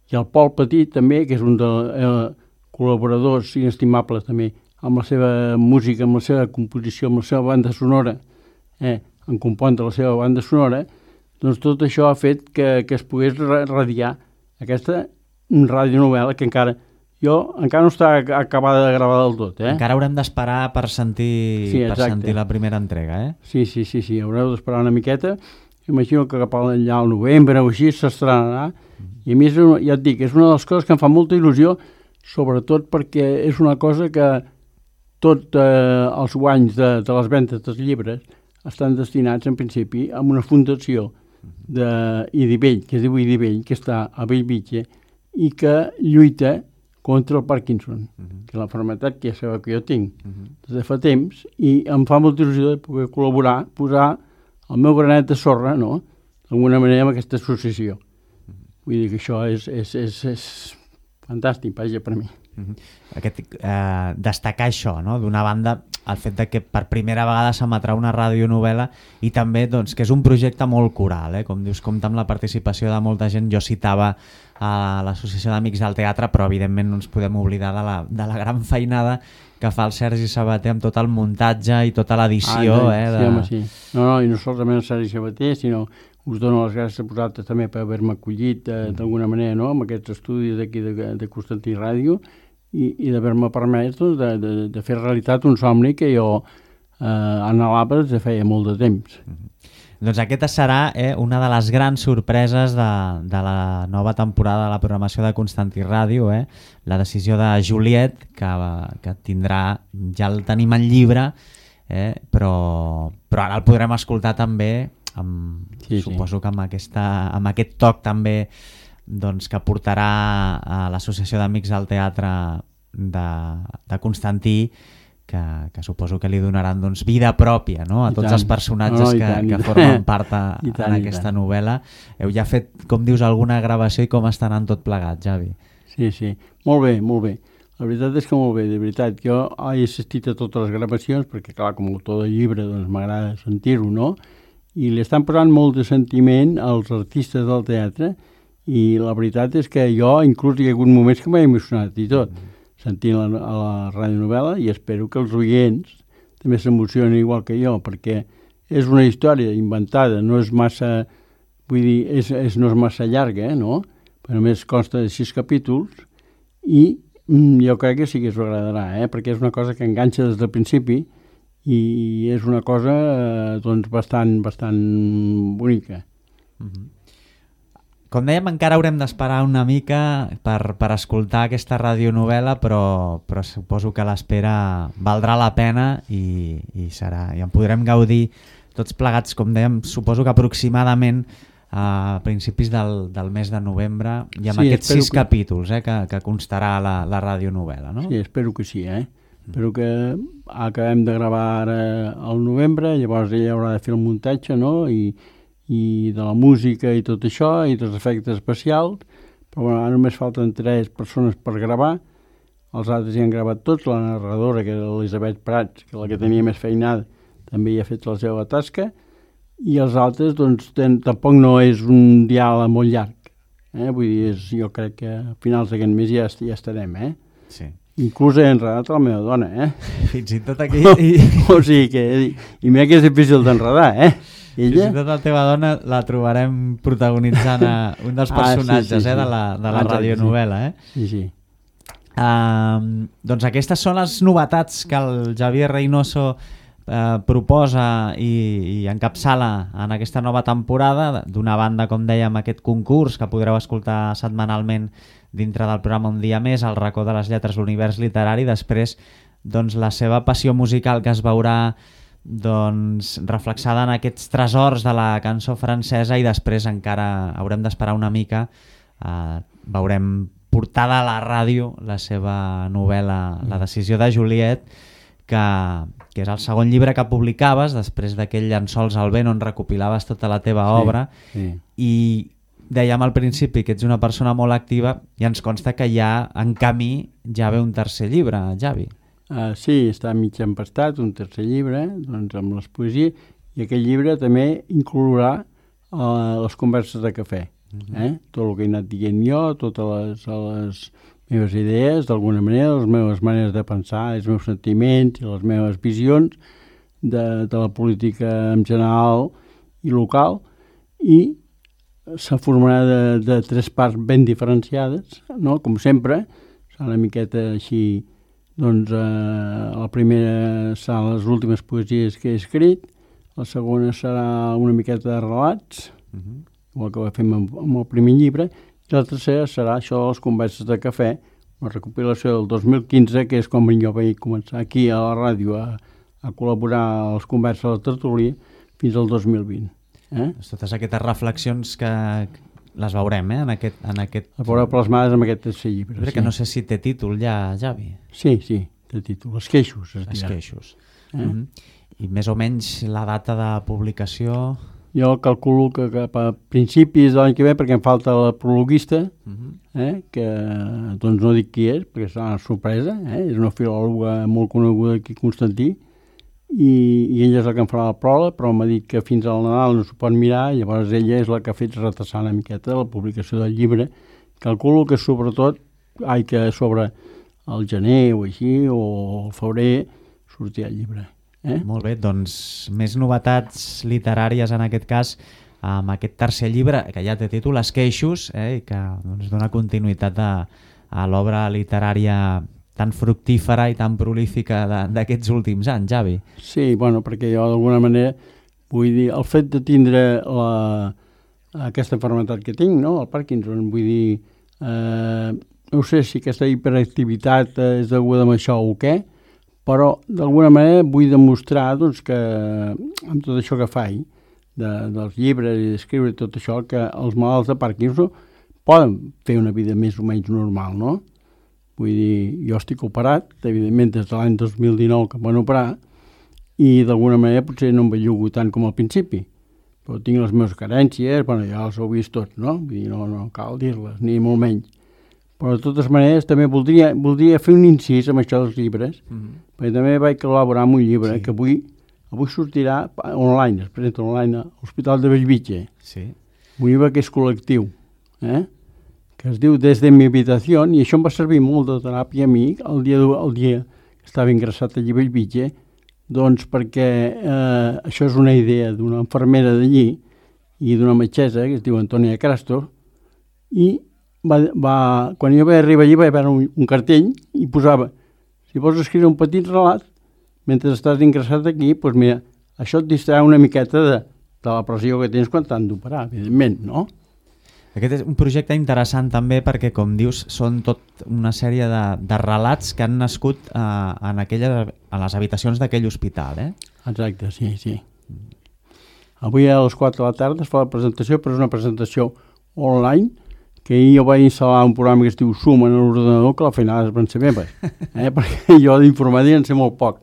i el Pol Petit també, que és un dels col·laboradors inestimables també, amb la seva música, amb la seva composició, amb la seva banda sonora, en compondre la seva banda sonora, doncs tot això ha fet que es pogués radiar aquesta radionovel·la que encara no està acabada de gravar del tot. Encara haurem d'esperar per sentir la primera entrega, Sí, haureu d'esperar una miqueta. Imagino que cap allà al novembre o així s'estrenarà. I a més, ja et dic, és una de les coses que em fa molta il·lusió, sobretot perquè és una cosa que tots els guanys de les ventes dels llibres estan destinats, en principi, a una fundació d'Idivell, que es diu Idivell, que està a Bellvitge, i que lluita contra el Parkinson, que és la malaltia que ja sabeu que jo tinc des de fa temps, i em fa molta il·lusió de poder col·laborar, posar el meu granet de sorra, no?, d'alguna manera, amb aquesta associació. Vull dir que això és fantàstic, vaja, per mi. Destacar això, no?, d'una banda, el fet de que per primera vegada s'emetrà una radionovel·la i també doncs, que és un projecte molt coral, com dius, compta amb la participació de molta gent. Jo citava a l'Associació d'Amics del Teatre, però evidentment no ens podem oblidar de la gran feinada que fa el Sergi Sabater amb tot el muntatge i tota l'edició. Sí. No, i no solament el Sergi Sabater, sinó us dono les gràcies a vosaltres també per haver-me acollit d'alguna manera, no?, amb aquests estudis d'aquí de Constantí Ràdio, i d'haver-me permès de fer realitat un somni que jo anhelava des de feia molt de temps. Doncs aquesta serà una de les grans sorpreses de la nova temporada de la programació de Constantí Ràdio, la decisió de Juliet, que tindrà, ja el tenim en llibre, però ara el podrem escoltar també, suposo que amb aquest toc també doncs, que portarà a l'Associació d'Amics del Teatre de Constantí, que suposo que li donaran doncs, vida pròpia, no?, a tots els personatges que formen part en aquesta novel·la. Heu ja fet, com dius, alguna gravació i com està anant tot plegat, Javi? Sí, molt bé. La veritat és que molt bé, de veritat. Jo he assistit a totes les gravacions perquè, clar, com a autor de llibre, doncs m'agrada sentir-ho, no? I li estan posant molt de sentiment als artistes del teatre, i la veritat és que jo inclús hi ha hagut moments que m'he emocionat i tot, sentint la radionovel·la, i espero que els oients també s'emocionen igual que jo, perquè és una història inventada, no és massa, vull dir, no és massa llarga, no? Però només consta de 6 capítols, i jo crec que sí que us agradarà, perquè és una cosa que enganxa des del principi, i és una cosa doncs bastant bonica. Com dèiem, encara haurem d'esperar una mica per escoltar aquesta radionovel·la, però suposo que l'espera valdrà la pena i en podrem gaudir tots plegats, com dèiem, suposo que aproximadament a principis del mes de novembre, i amb aquests 6 capítols que constarà la radionovel·la, no? Sí, espero que sí, Espero que acabem de gravar ara al novembre, llavors ella haurà de fer el muntatge, no?, i de la música i tot això, i dels efectes especials, però ara només falten 3 persones per gravar, els altres ja han gravat tots, la narradora, que era l'Elisabet Prats, que la que tenia més feinada, també hi ha fet la seva tasca, i els altres, doncs, tampoc no és un diàleg molt llarg, vull dir, jo crec que a finals d'aquest mes ja estarem, Sí. Inclús he enredat la meva dona, Fins i tot aquí... O sigui que... I mira que és difícil d'enredar, Ella? Fins i tot la teva dona la trobarem protagonitzant un dels personatges de la radionovel·la, Sí. Doncs aquestes són les novetats que el Javier Reynoso proposa i encapçala en aquesta nova temporada. D'una banda, com dèiem, aquest concurs que podreu escoltar setmanalment dintre del programa Un dia més, el racó de les lletres, l'univers literari. Després, doncs, la seva passió musical, que es veurà doncs, reflexada en aquests tresors de la cançó francesa, i després encara haurem d'esperar una mica, veurem portada a la ràdio la seva novel·la La decisió de Juliet, que és el segon llibre que publicaves després d'aquell Llençols al vent, on recopilaves tota la teva obra. I dèiem al principi que ets una persona molt activa, i ens consta que ja en camí ja ve un tercer llibre, Javi. Sí, està mig empastat, un tercer llibre, doncs amb les poesies, I aquest llibre també inclourà les converses de cafè. Tot el que he anat dient jo, totes les meves idees, d'alguna manera, les meves maneres de pensar, els meus sentiments i les meves visions de la política en general i local, i se formarà de 3 parts ben diferenciades, no? Com sempre, serà una miqueta així, doncs la primera seran les últimes poesies que he escrit, la segona serà una miqueta de relats, igual que fem amb el primer llibre, i la tercera serà això de les converses de cafè, una recopilació del 2015, que és com jo vaig començar aquí a la ràdio a col·laborar a les converses a la tertúlia fins al 2020. Totes aquestes reflexions que les veurem en aquest... Les veureu plasmades en aquest tercer llibre. Crec que no sé si té títol ja, Javi. Sí, té títol. Esqueixos, es dirà. Esqueixos. I més o menys la data de publicació... Jo calculo que cap a principis de l'any que ve, perquè em falta la prologuista, que doncs no dic qui és, perquè serà una sorpresa, és una filòloga molt coneguda aquí a Constantí, i ella és la que em farà la pròleg, però m'ha dit que fins al Nadal no s'ho pot mirar, i llavors ella és la que ha fet retrasar una miqueta la publicació del llibre. Calculo que sobre el gener o així, o el febrer, sortirà el llibre. Molt bé, doncs més novetats literàries en aquest cas amb aquest tercer llibre, que ja té títol Esqueixos, i que dona continuïtat a l'obra literària tan fructífera i tan prolífica d'aquests últims anys, Javi. Sí, bueno, perquè jo d'alguna manera vull dir, el fet de tindre aquesta malaltia que tinc, no? El Parkinson, vull dir, no sé si aquesta hiperactivitat és deguda a això o què, però d'alguna manera vull demostrar doncs, que amb tot això que faig, dels llibres i d'escriure tot això, que els malalts de Parkinson poden fer una vida més o menys normal, no? Vull dir, jo estic operat, evidentment des de l'any 2019 que em van operar, i d'alguna manera potser no em bellugo tant com al principi, però tinc les meves carències, bueno, ja les heu vist tots, no? Vull dir, no cal dir-les, ni molt menys. Però de totes maneres també voldria fer un incís amb això dels llibres, perquè també vaig col·laborar amb un llibre que avui sortirà online, es presenta online a l'Hospital de Bellvitge. Un llibre que és col·lectiu, que es diu Desde mi habitación, i això em va servir molt de teràpia a mi el dia que estava ingressat allí a Bellvitge, doncs perquè això és una idea d'una infermera d'allí i d'una metgessa que es diu Antònia Crasto, i quan jo vaig arribar allí vaig veure un cartell i posava, si vols escriure un petit relat mentre estàs ingressat aquí, doncs mira, això et distrà una miqueta de la pressió que tens quan t'han d'operar, evidentment, no? Aquest és un projecte interessant també perquè, com dius, són tot una sèrie de relats que han nascut a les habitacions d'aquell hospital, Exacte, sí. Avui a les 4 de la tarda es fa la presentació, però és una presentació online, que jo vaig instal·lar un programa que es diu Zoom en l'ordenador, que a la feinada es van ser meves, perquè jo d'informàtica en sé molt poc.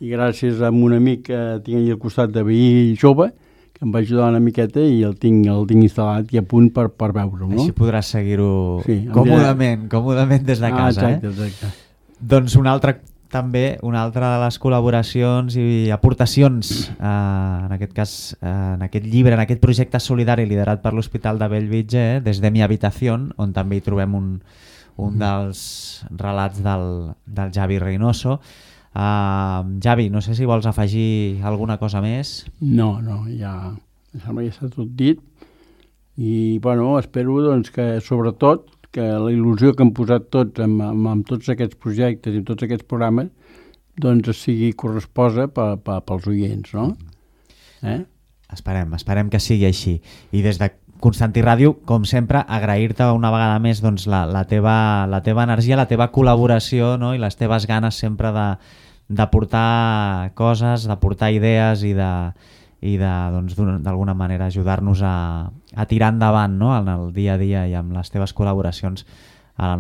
I gràcies a un amic que tinc allà al costat de veí jove, que em va ajudar una miqueta i el tinc instal·lat i a punt per veure-ho. No? Així podràs seguir-ho còmodament des de casa. Exacte. Doncs una altra de les col·laboracions i aportacions, en aquest cas, en aquest llibre, en aquest projecte solidari liderat per l'Hospital de Bellvitge, Des de mi habitación, on també hi trobem un dels relats del Javi Reynoso. Javi, no sé si vols afegir alguna cosa més. No, ja sembla que està tot dit i bueno, espero doncs, que sobretot que la il·lusió que hem posat tots amb tots aquests projectes i tots aquests programes doncs sigui corresposa pels oients, no? Esperem que sigui així. I des de Constantí Ràdio, com sempre, agrair-te una vegada més doncs, la teva energia, la teva col·laboració, no? I les teves ganes sempre d'aportar coses, d'aportar idees i d'alguna manera ajudar-nos a tirar endavant, no? En el dia a dia i amb les teves col·laboracions a la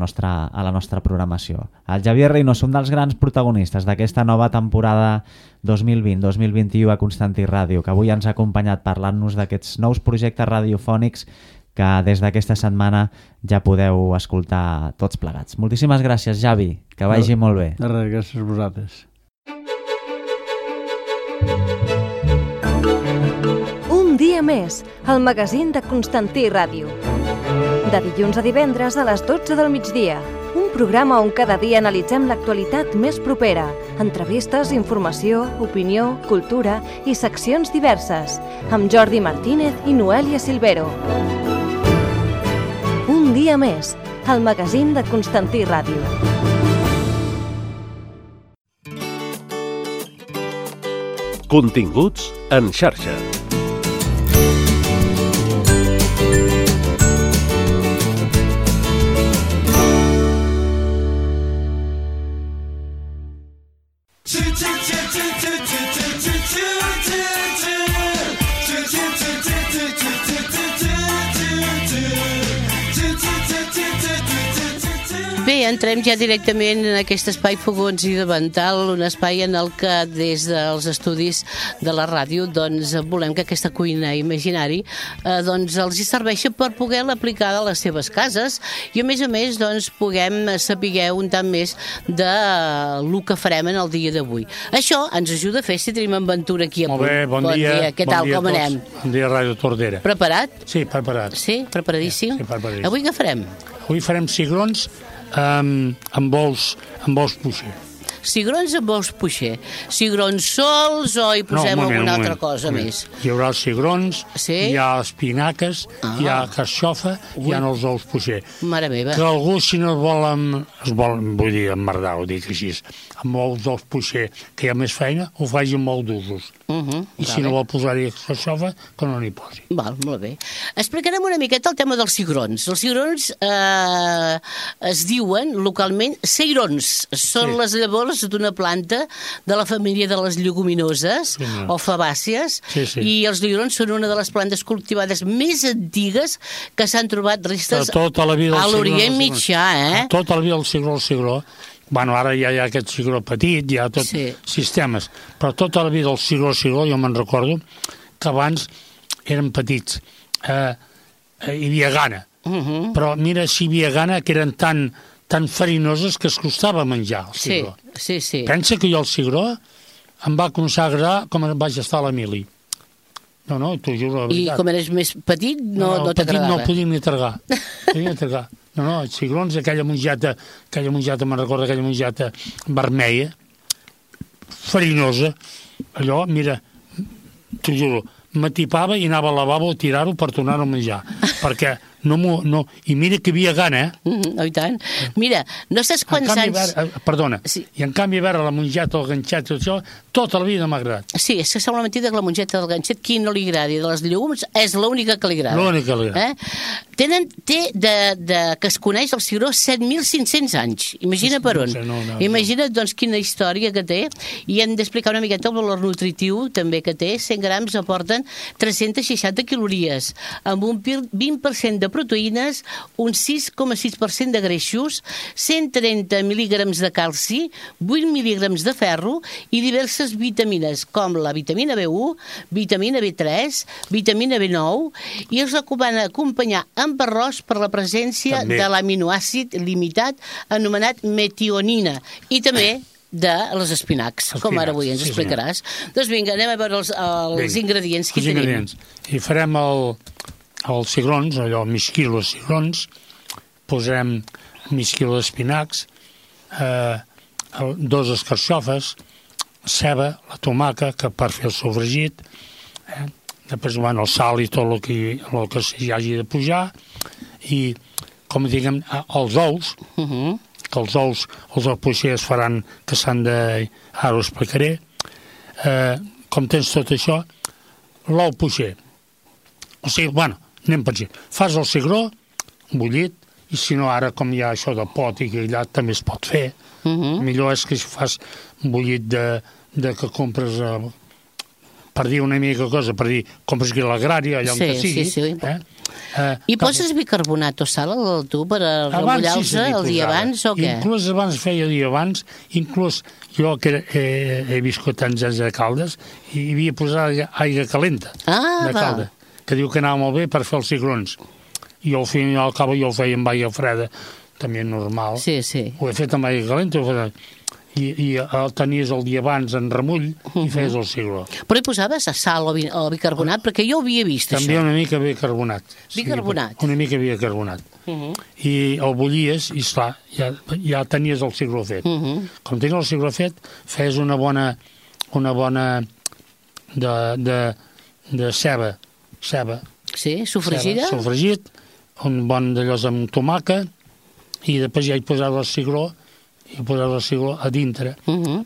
nostra programació. El Javier Reynoso, un dels grans protagonistes d'aquesta nova temporada 2020-2021 a Constantí Ràdio, que avui ens ha acompanyat parlant-nos d'aquests nous projectes radiofònics que des d'aquesta setmana ja podeu escoltar tots plegats. Moltíssimes gràcies, Javi, que vagi molt bé. De res, gràcies a vosaltres. més, el magazín de Constantí Ràdio. De dilluns a divendres a les 12 del migdia. Un programa on cada dia analitzem l'actualitat més propera. Entrevistes, informació, opinió, cultura i seccions diverses. Amb Jordi Martínez i Noelia Silvero. Un dia més, el magazín de Constantí Ràdio. Continguts en xarxa. Bé, entrem ja directament en aquest espai Fogons i Davantal, un espai en el que des dels estudis de la ràdio doncs, volem que aquesta cuina imaginari doncs, els hi serveixi per poder-la aplicar a les seves cases i a més doncs, puguem saber un tant més de lo que farem en el dia d'avui. Això ens ajuda a fer si tenim en Ventura aquí a punt. Molt bé, bon dia. Què tal, com anem? Bon dia, Ràdio Tordera. Preparat? Sí, preparat. Sí, preparadíssim? Sí, preparadíssim. Avui què farem? Avui farem cigrons amb ous puixer. Cigrons amb ous puixer. Cigrons sols o hi posem alguna altra cosa més? Hi haurà els cigrons, hi ha espinaques, hi ha carxofa, hi ha els ous puixer. Mare meva. Que algú, si no es vol, vull dir, emmerdar, ho dic així, amb ous puixer, que hi ha més feina, ho faci amb ous d'usos. I si no vol posar-hi carxofa, que no n'hi posi. Val, molt bé. Explicarem una miqueta el tema dels cigrons. Els cigrons es diuen localment ceirons. Són les llavors d'una planta de la família de les lleguminoses o fabàcies i els cigrons són una de les plantes cultivades més antigues que s'han trobat restes a l'Orient Mitjà. Tota la vida el cigró. Bueno, ara ja hi ha aquest cigró petit, hi ha tot sistemes, però tota la vida el cigró, jo me'n recordo que abans eren petits. Hi havia gana, però mira si hi havia gana que eren tan farinoses que es costava menjar el cigró. Sí. Pensa que jo el cigró em va començar a agradar com vaig estar a la mili. No, t'ho juro, la veritat. I com eres més petit no t'agradava? No podia ni tragar. No, els cigrons, aquella mongeta, me'n recordo, aquella mongeta vermella, farinosa, allò, mira, t'ho juro, m'atipava i anava al lavabo a tirar-ho per tornar-ho a menjar, perquè i mira que hi havia gana, Oh, i tant. Mira, no saps quants anys... Perdona, i en canvi veure la mongeta, el ganxet, tot això, tota la vida m'ha agradat. Sí, és que sembla mentida que la mongeta del ganxet, qui no li agradi, de les llegums, és l'única que li agrada. L'única que li agrada. Té que es coneix el cigró 7.500 anys. Imagina per on. Imagina't, doncs, quina història que té, i hem d'explicar una miqueta el valor nutritiu també que té. 100 grams aporten 360 calories, amb un 20% de proteïnes, un 6,6% de greixos, 130 mil·lígrams de calci, 8 mil·lígrams de ferro i diverses vitamines, com la vitamina B1, vitamina B3, vitamina B9, i es recomana acompanyar amb arròs per la presència de l'aminoàcid limitat anomenat metionina, i també de les espinacs, com ara avui ens explicaràs. Doncs vinga, anem a veure els ingredients que tenim. I farem els cigrons, allò, mig quilo de cigrons, posarem mig quilo d'espinacs, 2 escarxofes, ceba, la tomaca, que per fer el sofregit, després el sal i tot el que s'hi hagi de pujar, i, com diguem, els ous, que els ous puixer es faran, que s'han de... Ara ho explicaré. Com tens tot això, l'ou puixer. O sigui, anem per aquí. Fas el cigró, bullit, i si no ara, com hi ha això de pot i grillat, també es pot fer. Millor és que fas bullit de que compres, per dir una mica cosa, per dir, compres aquí a l'agrari, allà on que sigui. I poses bicarbonat o sal tu per remullar-se el dia abans o què? Inclús abans feia el dia abans, inclús jo que he viscut tants anys de Caldes, hi havia posat aigua calenta de Caldes, que diu que anava molt bé per fer els cigrons. I al final, al cap, jo ho feia amb aigua freda, també normal. Sí. Ho he fet amb aigua calenta, i el tenies el dia abans en remull i feies el cigró. Però hi posaves sal o bicarbonat? Perquè jo ho havia vist, També això. una mica bicarbonat. Bicarbonat? Sí, una mica bicarbonat. I el bullies i, esclar, ja tenies el cigró fet. Com tenies el cigró fet, feies una bona de ceba. Sí, sofregida? Sofregit, un bon d'allò amb tomàquet, i després ja hi posaves el cigró, a dintre.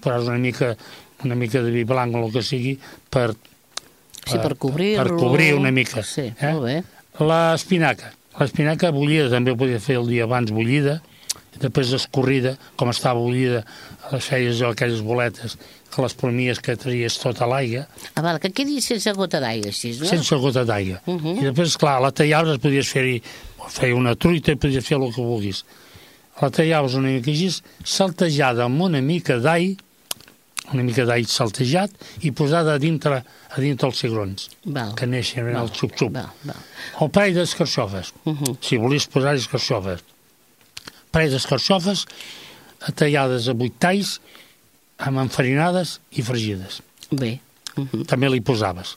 Posaves una mica de vi blanc o el que sigui per cobrir-lo. Per cobrir una mica. Sí, molt bé. L'espinaca bullida també ho podia fer el dia abans bullida, després escorrida, com estava bullida, les feies aquelles boletes, que les premies que tries tota l'aigua. Val, que quedi sense gota d'aigua, així, no? Sense gota d'aigua. I després, clar, la tallaves, podies fer-hi, feia una truita i podies fer el que vulguis. La tallaves una mica així, saltejada amb una mica d'all saltejat i posada a dintre els cigrons, que neixen el xup-xup. El parell d'escarxofes, si volies posar escarxofes. Parell d'escarxofes tallades a 8 talls, amb enfarinades i fregides. Bé. També li posaves.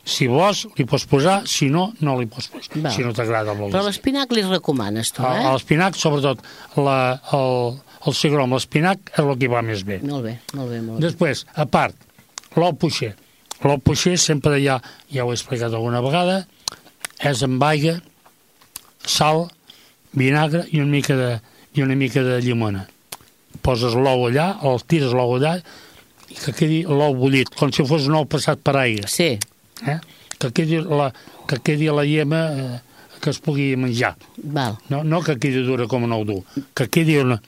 Si vols, li pots posar, si no, no li pots posar. Si no t'agrada molt. Però l'espinac li recomanes, tu, eh? L'espinac, sobretot, el cigró amb l'espinac és el que va més bé. Molt bé. Després, a part, l'ou puixer. L'ou puixer sempre ja ho he explicat alguna vegada, és amb aigua, sal, vinagre i una mica de llimona. Poses l'ou allà, tires l'ou allà, i que quedi l'ou bullit, com si fos un ou passat per aigua. Sí. Que quedi la llema que es pugui menjar. No que quedi dura com un ou dur, que quedi una...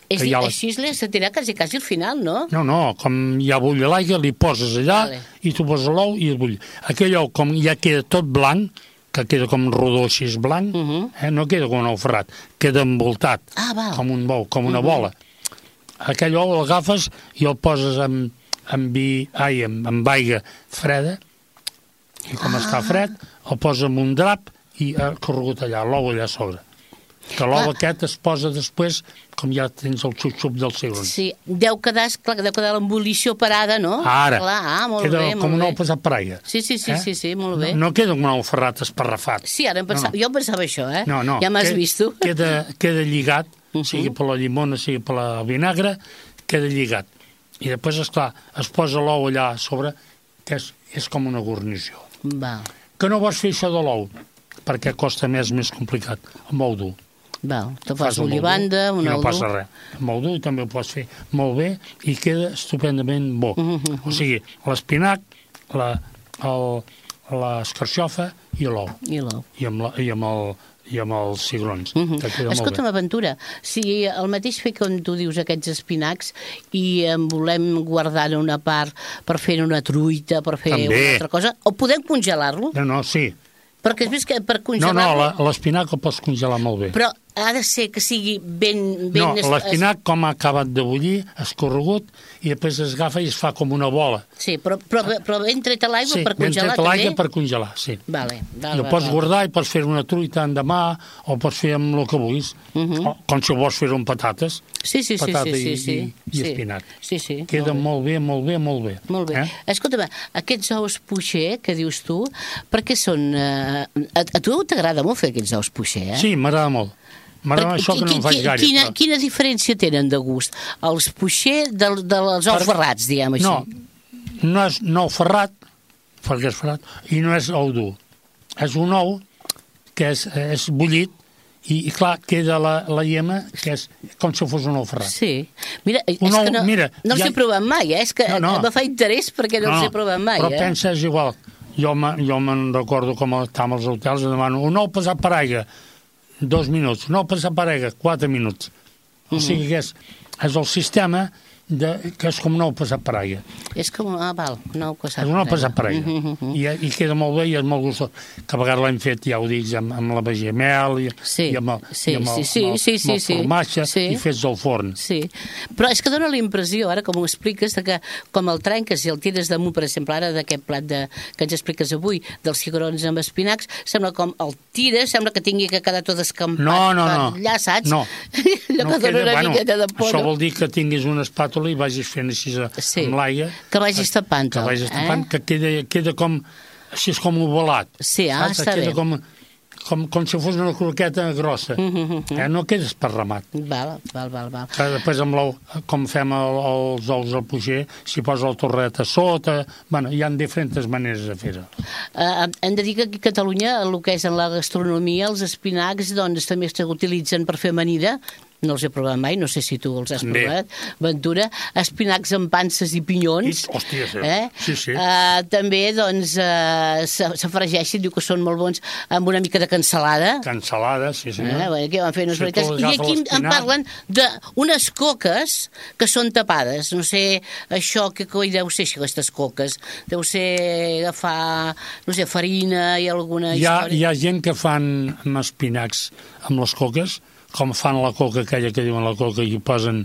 Així se tira quasi al final, no? No, com ja bull l'aigua, li poses allà i tu poses l'ou i es bull. Aquell ou, com ja queda tot blanc, que queda com rodó així blanc, no queda com un ou ferrat, queda envoltat, com un bou, com una bola. Aquell ou l'agafes i el poses amb aigua freda, i com està fred, el poses en un drap i corregut allà, l'ou allà a sobre. Que l'ou aquest es posa després, com ja tens el xup-xup dels cigrons. Sí, deu quedar l'embolició parada, no? Ara, queda com un ou passat per aigua. Sí, molt bé. No queda un ou ferrat esparrafat. Sí, ara jo pensava això, eh? No, ja m'has vist tu. Queda lligat, sigui per la llimona, sigui per la vinagre, queda lligat. I després, esclar, es posa l'ou allà a sobre, que és com una guarnició. Que no vols fer això de l'ou, perquè costa més complicat, amb ou dur. Te fas olivanda, un ou dur. No passa res. Amb ou dur també ho pots fer molt bé i queda estupendament bo. O sigui, l'espinac, l'escarxofa i l'ou. I amb els cigrons. Escolta'm, Aventura, si el mateix fer com tu dius aquests espinacs i en volem guardar una part per fer una truita, per fer una altra cosa, o podem congelar-lo? No, sí. Perquè és més que per congelar-lo... No, l'espinac el pots congelar molt bé. Però ha de ser que sigui ben... No, l'espinac, com ha acabat de bullir, escorregut, i després es agafa i es fa com una bola. Sí, però ben tret a l'aigua per congelar, també? Sí, ben tret a l'aigua per congelar, sí. I ho pots guardar i pots fer una truita endemà, o pots fer amb el que vulguis, com si vols fer amb patates. Sí. Patata i espinac. Sí. Queda molt bé. Molt bé. Escolta'm, aquests ous puixer que dius tu, perquè són... A tu t'agrada molt fer aquests ous puixer, eh? Sí, m'agrada molt. M'agrada això que no em faig gaire. Quina diferència tenen de gust? Els puixer dels ous ferrats, diguem així. No és nou ferrat, perquè és ferrat, i no és ou dur. És un ou que és bullit i clar, queda la llema que és com si fos un ou ferrat. Sí. Mira, és que no els he provat mai, és que em fa interès perquè no els he provat mai. Però pensa, és igual. Jo me'n recordo com estàvem als hotels i demano un ou passat per aigua, 2 minuts. Un ou passat per aigua, 4 minuts. O sigui que és el sistema que és com un ou passat per aigua. És com un ou passat per aigua. És un ou passat per aigua. I queda molt bé i és molt gustós. Que a vegades l'hem fet, ja ho dic, amb la vegemel i amb el formatge i fets al forn. Sí, però és que dona la impressió, ara com ho expliques, que com el trenques i el tires damunt, per exemple, ara d'aquest plat que ens expliques avui, dels cigrons amb espinacs, sembla com el tires, sembla que tingui que quedar tot escampat per allà, saps? No, allò que dona una miqueta de por. Això vol dir que tinguis una espàtula i vagis fent així amb l'aigua. Que vagis tapant-ho. Que vagis tapant, que queda com, així és com ovalat. Sí, està bé. Queda com si fos una croqueta grossa. No queda esparramat. Val. Després amb l'ou, com fem els ous al poger, s'hi posa el torret a sota. Bueno, hi ha diferents maneres de fer-ho. Hem de dir que aquí a Catalunya, el que és en la gastronomia, els espinacs doncs, també s'utilitzen per fer amanida. No els he provat mai, no sé si tu els has provat, Ventura. Espinacs amb panses i pinyons. Hòstia, sí. També, doncs, s'afregeixen, diu que són molt bons, amb una mica de cansalada. Cansalada, sí. Aquí van fer unes varietats. I aquí em parlen d'unes coques que són tapades. No sé, això, que coi deu ser això, aquestes coques? Deu ser agafar, no sé, farina i alguna història. Hi ha gent que fan amb espinacs amb les coques, com fan la coca, aquella que diuen la coca, i posen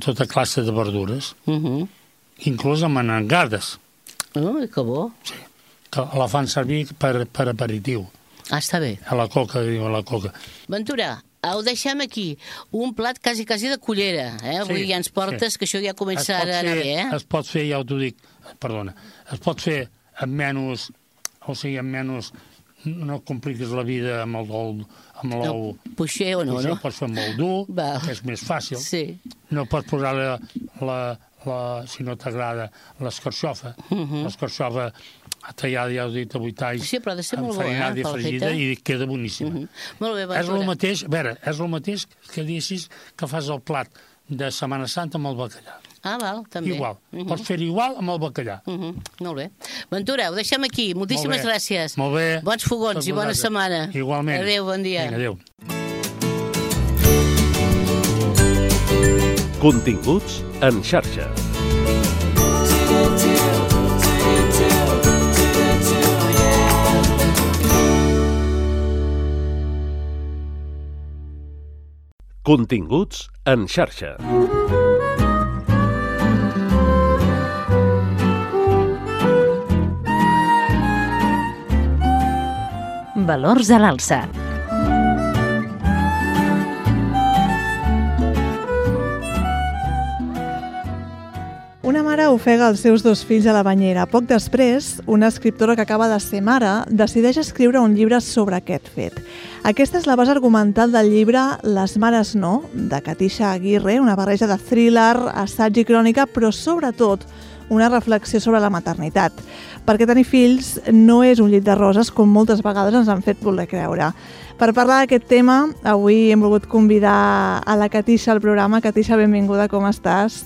tota classe de verdures, inclús amb anengades. Que bo. Sí, que la fan servir per aperitiu. Està bé. A la coca, diuen la coca. Ventura, ho deixem aquí. Un plat quasi de cullera. Avui ja ens portes, que això ja comença a anar bé. Es pot fer, ja t'ho dic, perdona, es pot fer amb menys, o sigui, amb menys, no compliques la vida amb l'ou. Poixer o no? Pots fer molt dur, que és més fàcil. Sí. No pots posar si no t'agrada, l'escarxofa. L'escarxofa tallada, ja ho he dit, a 8 talls, enfarinada i fregida, i queda boníssima. Molt bé, és el mateix, a veure, és el mateix que deixis que fas el plat de Setmana Santa amb el bacallà. Val, també. Igual. Pots fer igual amb el bacallà. Molt bé. Ventura, ho deixem aquí. Moltíssimes gràcies. Molt bé. Bons fogons i bona setmana. Igualment. Adéu, bon dia. Adéu. Continguts en xarxa. Continguts en xarxa. Valors a l'alça. Una mare ofega els seus 2 fills a la banyera. Poc després, una escriptora que acaba de ser mare decideix escriure un llibre sobre aquest fet. Aquesta és la base argumental del llibre Les mares no, de Katisha Aguirre, una barreja de thriller, assaig i crònica, però sobretot una reflexió sobre la maternitat. Perquè tenir fills no és un llit de roses, com moltes vegades ens han fet voler creure. Per parlar d'aquest tema, avui hem volgut convidar a la Katisha al programa. Katisha, benvinguda, com estàs?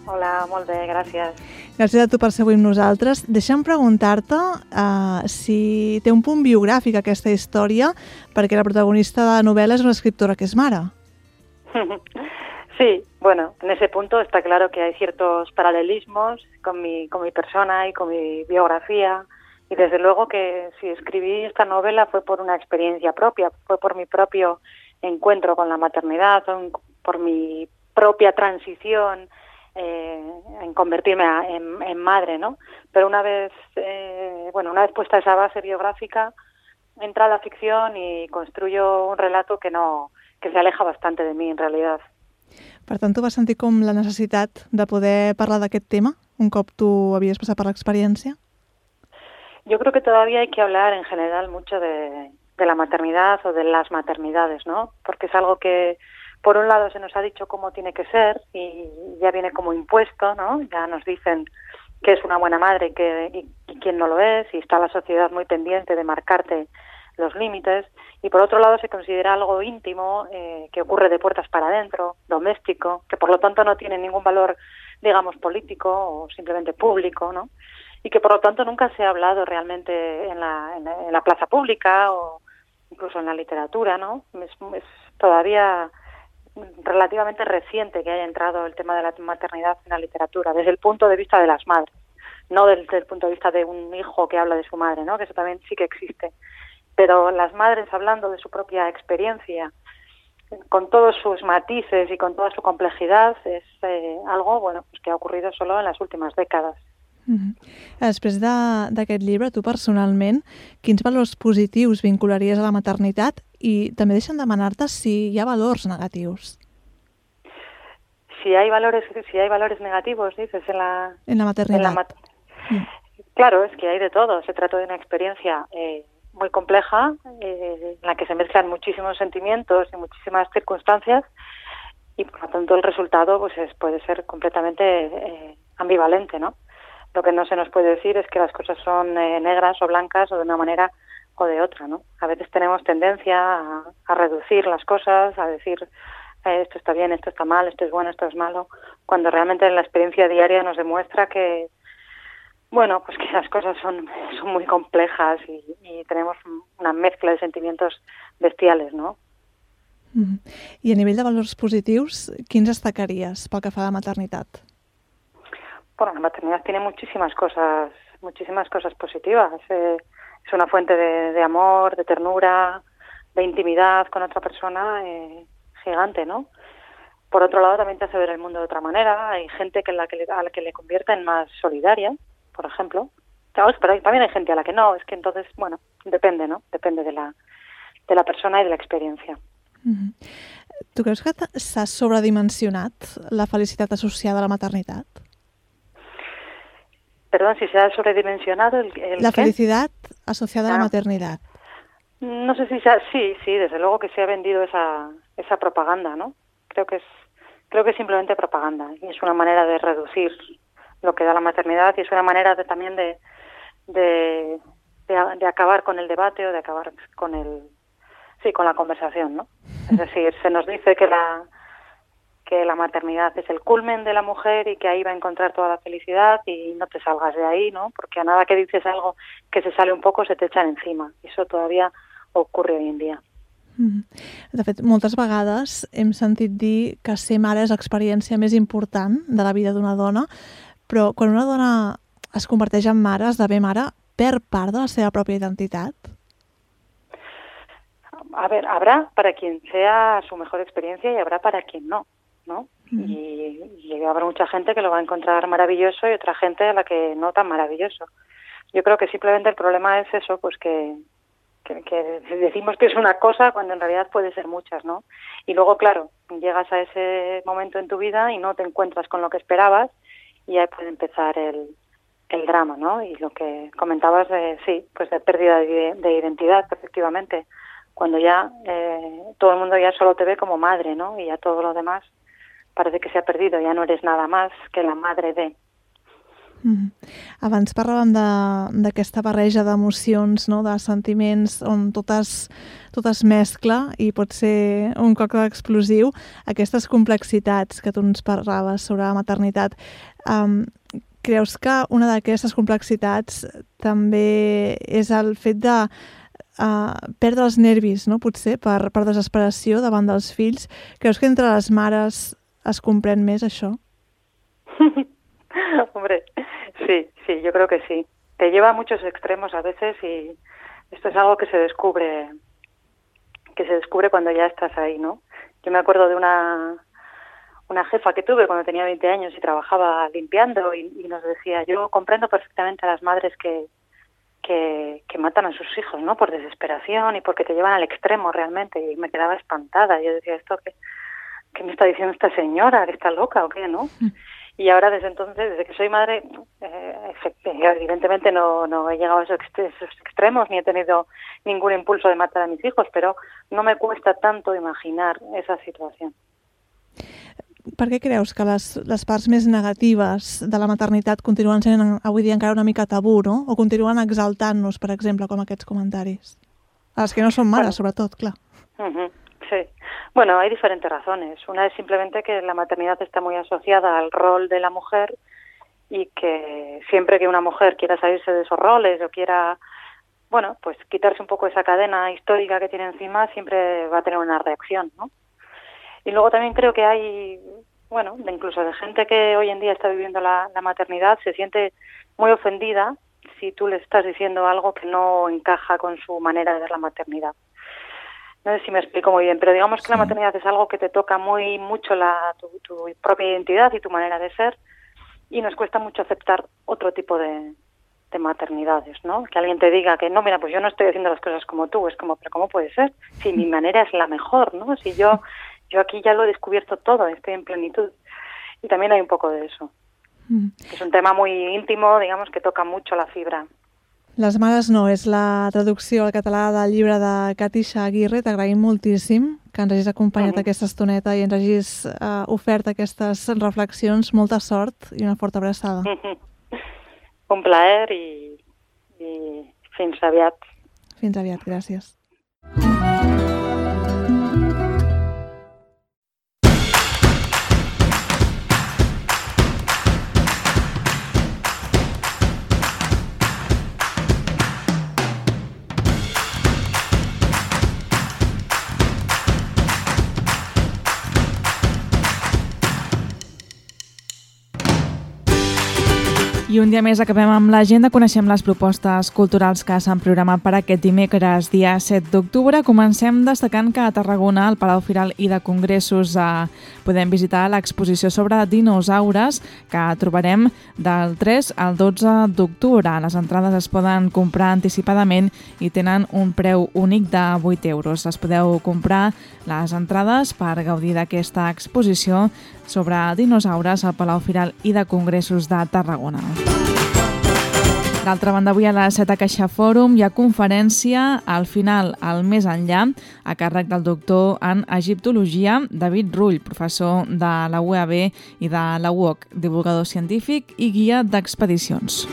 Hola, molt bé, gràcies. Gràcies a tu per ser avui amb nosaltres. Deixa'm preguntar-te si té un punt biogràfic aquesta història, perquè la protagonista de la novel·la és una escriptora que es mare. Sí, bueno, en ese punto está claro que hay ciertos paralelismos con mi persona y con mi biografía, y desde luego que si escribí esta novela fue por una experiencia propia, fue por mi propio encuentro con la maternidad, por mi propia transición en convertirme en madre, ¿no? Pero una vez puesta esa base biográfica, entra la ficción y construyo un relato que se aleja bastante de mí, en realidad. Per tant, tu vas sentir com la necessitat de poder parlar d'aquest tema, un cop tu havies passat per l'experiència? Yo creo que todavía hay que hablar en general mucho de la maternidad o de las maternidades, ¿no? Porque es algo que, por un lado, se nos ha dicho cómo tiene que ser y ya viene como impuesto, ¿no? Ya nos dicen que es una buena madre y quién no lo es, y está la sociedad muy pendiente de marcarte los límites, y por otro lado se considera algo íntimo, que ocurre de puertas para adentro, doméstico, que por lo tanto no tiene ningún valor, digamos, político o simplemente público, ¿no? Y que por lo tanto nunca se ha hablado realmente en la plaza pública o incluso en la literatura, ¿no? Es todavía relativamente reciente que haya entrado el tema de la maternidad en la literatura, desde el punto de vista de las madres, no desde el punto de vista de un hijo que habla de su madre, ¿no? Que eso también sí que existe. Pero las madres hablando de su propia experiencia, con todos sus matices y con toda su complejidad, es algo pues que ha ocurrido solo en las últimas décadas. Després d'aquest llibre, tu personalment, quins valors positius vincularies a la maternitat i també deixen demanar-te si hi ha valors negatius? Si hay valores negativos, dices, en la maternidad. Claro, es que hay de todo. Se trata de una experiencia muy compleja, en la que se mezclan muchísimos sentimientos y muchísimas circunstancias, y por lo tanto el resultado pues puede ser completamente ambivalente, ¿no? Lo que no se nos puede decir es que las cosas son negras o blancas o de una manera o de otra, ¿no? A veces tenemos tendencia a reducir las cosas, a decir esto está bien, esto está mal, esto es bueno, esto es malo, cuando realmente la experiencia diaria nos demuestra que, bueno, pues que las cosas son muy complejas y tenemos una mezcla de sentimientos bestiales, ¿no? I a nivell de valors positius, quins destacaries pel que fa a la maternitat? Bueno, la maternidad tiene muchísimas cosas positivas. Es una fuente de amor, de ternura, de intimidad con otra persona gigante, ¿no? Por otro lado, también te hace ver el mundo de otra manera. Hay gente a la que le convierte en más solidaria, por ejemplo. Claro, pero también hay gente a la que no. Es que entonces, bueno, depende, ¿no? Depende de la persona y de la experiencia. Tu creus que s'ha sobredimensionat la felicitat associada a la maternitat? Perdón, si se ha sobredimensionado la felicidad asociada a la maternidad. No sé si sí, desde luego que se ha vendido esa propaganda, ¿no? Creo que es simplemente propaganda y es una manera de reducir lo que da la maternidad y es una manera también de acabar con el debate o de acabar con la conversación, ¿no? Es decir, se nos dice que la maternidad es el culmen de la mujer y que ahí va a encontrar toda la felicidad y no te salgas de ahí, ¿no? Porque a nada que dices algo que se sale un poco se te echan encima. Eso todavía ocurre hoy en dia. De fet, moltes vegades hem sentit dir que ser mare és l'experiència més important de la vida d'una dona, però quan una dona es converteix en mare, esdevé mare, perd part de la seva pròpia identitat? A ver, habrá para quien sea su mejor experiencia y habrá para quien no, ¿no? Y habrá mucha gente que lo va a encontrar maravilloso y otra gente a la que no tan maravilloso. Yo creo que simplemente el problema es eso, pues que decimos que es una cosa cuando en realidad puede ser muchas, ¿no? Y luego, claro, llegas a ese momento en tu vida y no te encuentras con lo que esperabas y ahí puede empezar el drama, ¿no? Y lo que comentabas pues de pérdida de identidad, efectivamente, cuando ya todo el mundo ya solo te ve como madre, ¿no? Y ya todo lo demás parece que se ha perdido, ya no eres nada más que la madre de. Abans parlàvem d'aquesta barreja d'emocions, no? De sentiments on tot es mescla i pot ser un còctel explosiu. Aquestes complexitats que tu ens parlaves sobre la maternitat, creus que una d'aquestes complexitats també és el fet de perdre els nervis, no? Potser per desesperació davant dels fills? Creus que entre les mares es comprèn més això? Hombre, sí, yo creo que sí. Te lleva a muchos extremos a veces y esto es algo que se descubre cuando ya estás ahí, ¿no? Yo me acuerdo de una jefa que tuve cuando tenía 20 años y trabajaba limpiando y nos decía, yo comprendo perfectamente a las madres que matan a sus hijos, ¿no? Por desesperación y porque te llevan al extremo realmente. Y me quedaba espantada. Yo decía, ¿esto qué me está diciendo esta señora? ¿Que está loca o qué, no? Y ahora desde entonces, desde que soy madre, evidentemente no he llegado a esos extremos ni he tenido ningún impulso de matar a mis hijos, pero no me cuesta tanto imaginar esa situación. Per què creus que les parts més negatives de la maternitat continuen sent avui dia encara una mica tabú, no? O continuen exaltant-nos, per exemple, com aquests comentaris? A les que no són mares, sobretot, clar. Sí. Bueno, hay diferentes razones. Una es simplemente que la maternidad está muy asociada al rol de la mujer y que siempre que una mujer quiera salirse de esos roles o quiera, bueno, pues quitarse un poco esa cadena histórica que tiene encima, siempre va a tener una reacción, ¿no? Y luego también creo que hay, bueno, incluso de gente que hoy en día está viviendo la maternidad, se siente muy ofendida si tú le estás diciendo algo que no encaja con su manera de ver la maternidad. No sé si me explico muy bien, pero digamos que la maternidad es algo que te toca mucho tu propia identidad y tu manera de ser, y nos cuesta mucho aceptar otro tipo de maternidades, ¿no? Que alguien te diga que no, mira, pues yo no estoy haciendo las cosas como tú, es como, pero ¿cómo puede ser? Si mi manera es la mejor, ¿no? Si yo aquí ya lo he descubierto todo, estoy en plenitud. Y también hay un poco de eso. Es un tema muy íntimo, digamos, que toca mucho la fibra. Les mares no és la traducció al català del llibre de Katisha Aguirre. T'agraïm moltíssim que ens hagis acompanyat aquesta estoneta i ens hagis ofert aquestes reflexions. Molta sort i una forta abraçada. Un plaer i fins aviat. Fins aviat, gràcies. I un dia més acabem amb l'agenda, coneixem les propostes culturals que s'han programat per aquest dimecres, dia 7 d'octubre. Comencem destacant que a Tarragona, al Palau Firal i de Congressos, podem visitar l'exposició sobre dinosaures que trobarem del 3 al 12 d'octubre. Les entrades es poden comprar anticipadament i tenen un preu únic de 8 euros. Es podeu comprar les entrades per gaudir d'aquesta exposició sobre dinosaures al Palau Firal i de Congressos de Tarragona. D'altra banda, avui a les 7 a Caixa Fòrum hi ha conferència al final, al Més Enllà, a càrrec del doctor en egiptologia David Rull, professor de la UAB i de la UOC, divulgador científic i guia d'expedicions.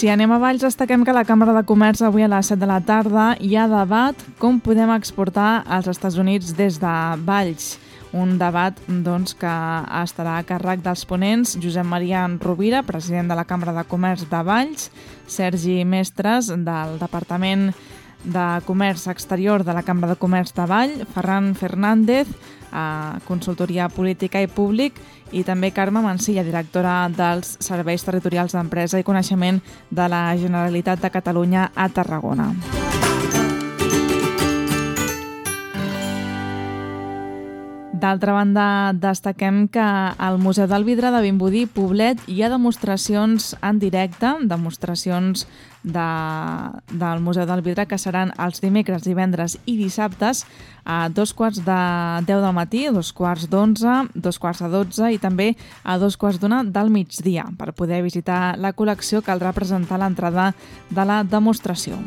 Si anem a Valls, destaquem que a la Cambra de Comerç avui a les 7 de la tarda hi ha debat com podem exportar als Estats Units des de Valls. Un debat que estarà a càrrec dels ponents Josep Maria Rovira, president de la Cambra de Comerç de Valls, Sergi Mestres, del Departament de Comerç Exterior de la Cambra de Comerç de Valls, Ferran Fernández, Consultoria Política i Públic, i també Carme Mancilla, directora dels Serveis Territorials d'Empresa i Coneixement de la Generalitat de Catalunya a Tarragona. D'altra banda, destaquem que al Museu del Vidre de Vimbodí, Poblet, hi ha demostracions en directe, demostracions del Museu del Vidre que seran els dimecres, divendres i dissabtes a 2:10 del matí, 2:11, 2:12 i també a 2:45 del migdia. Per poder visitar la col·lecció caldrà presentar l'entrada de la demostració.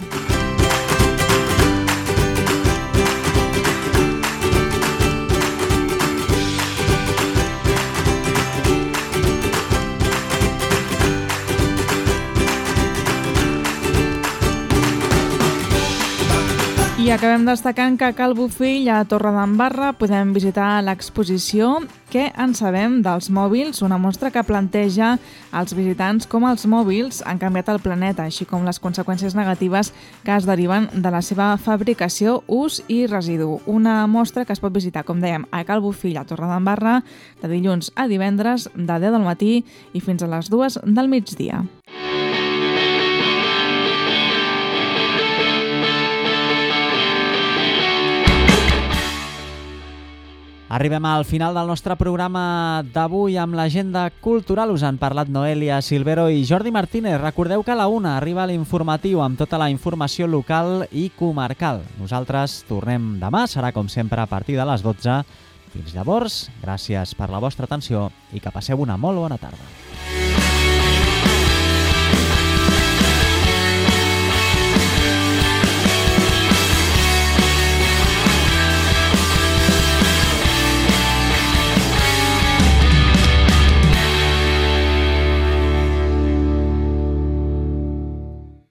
I acabem destacant que a Cal Bofill, a Torredembarra, podem visitar l'exposició Què en sabem dels mòbils, una mostra que planteja als visitants com els mòbils han canviat el planeta, així com les conseqüències negatives que es deriven de la seva fabricació, ús i residu. Una mostra que es pot visitar, com dèiem, a Cal Bofill, a Torredembarra, de dilluns a divendres, de 10 del matí i fins a les 2 del migdia. Arribem al final del nostre programa d'avui amb l'agenda cultural. Us han parlat Noelia Silvero i Jordi Martínez. Recordeu que a la 1 arriba l'informatiu amb tota la informació local i comarcal. Nosaltres tornem demà, serà com sempre a partir de les 12. Fins llavors, gràcies per la vostra atenció i que passeu una molt bona tarda.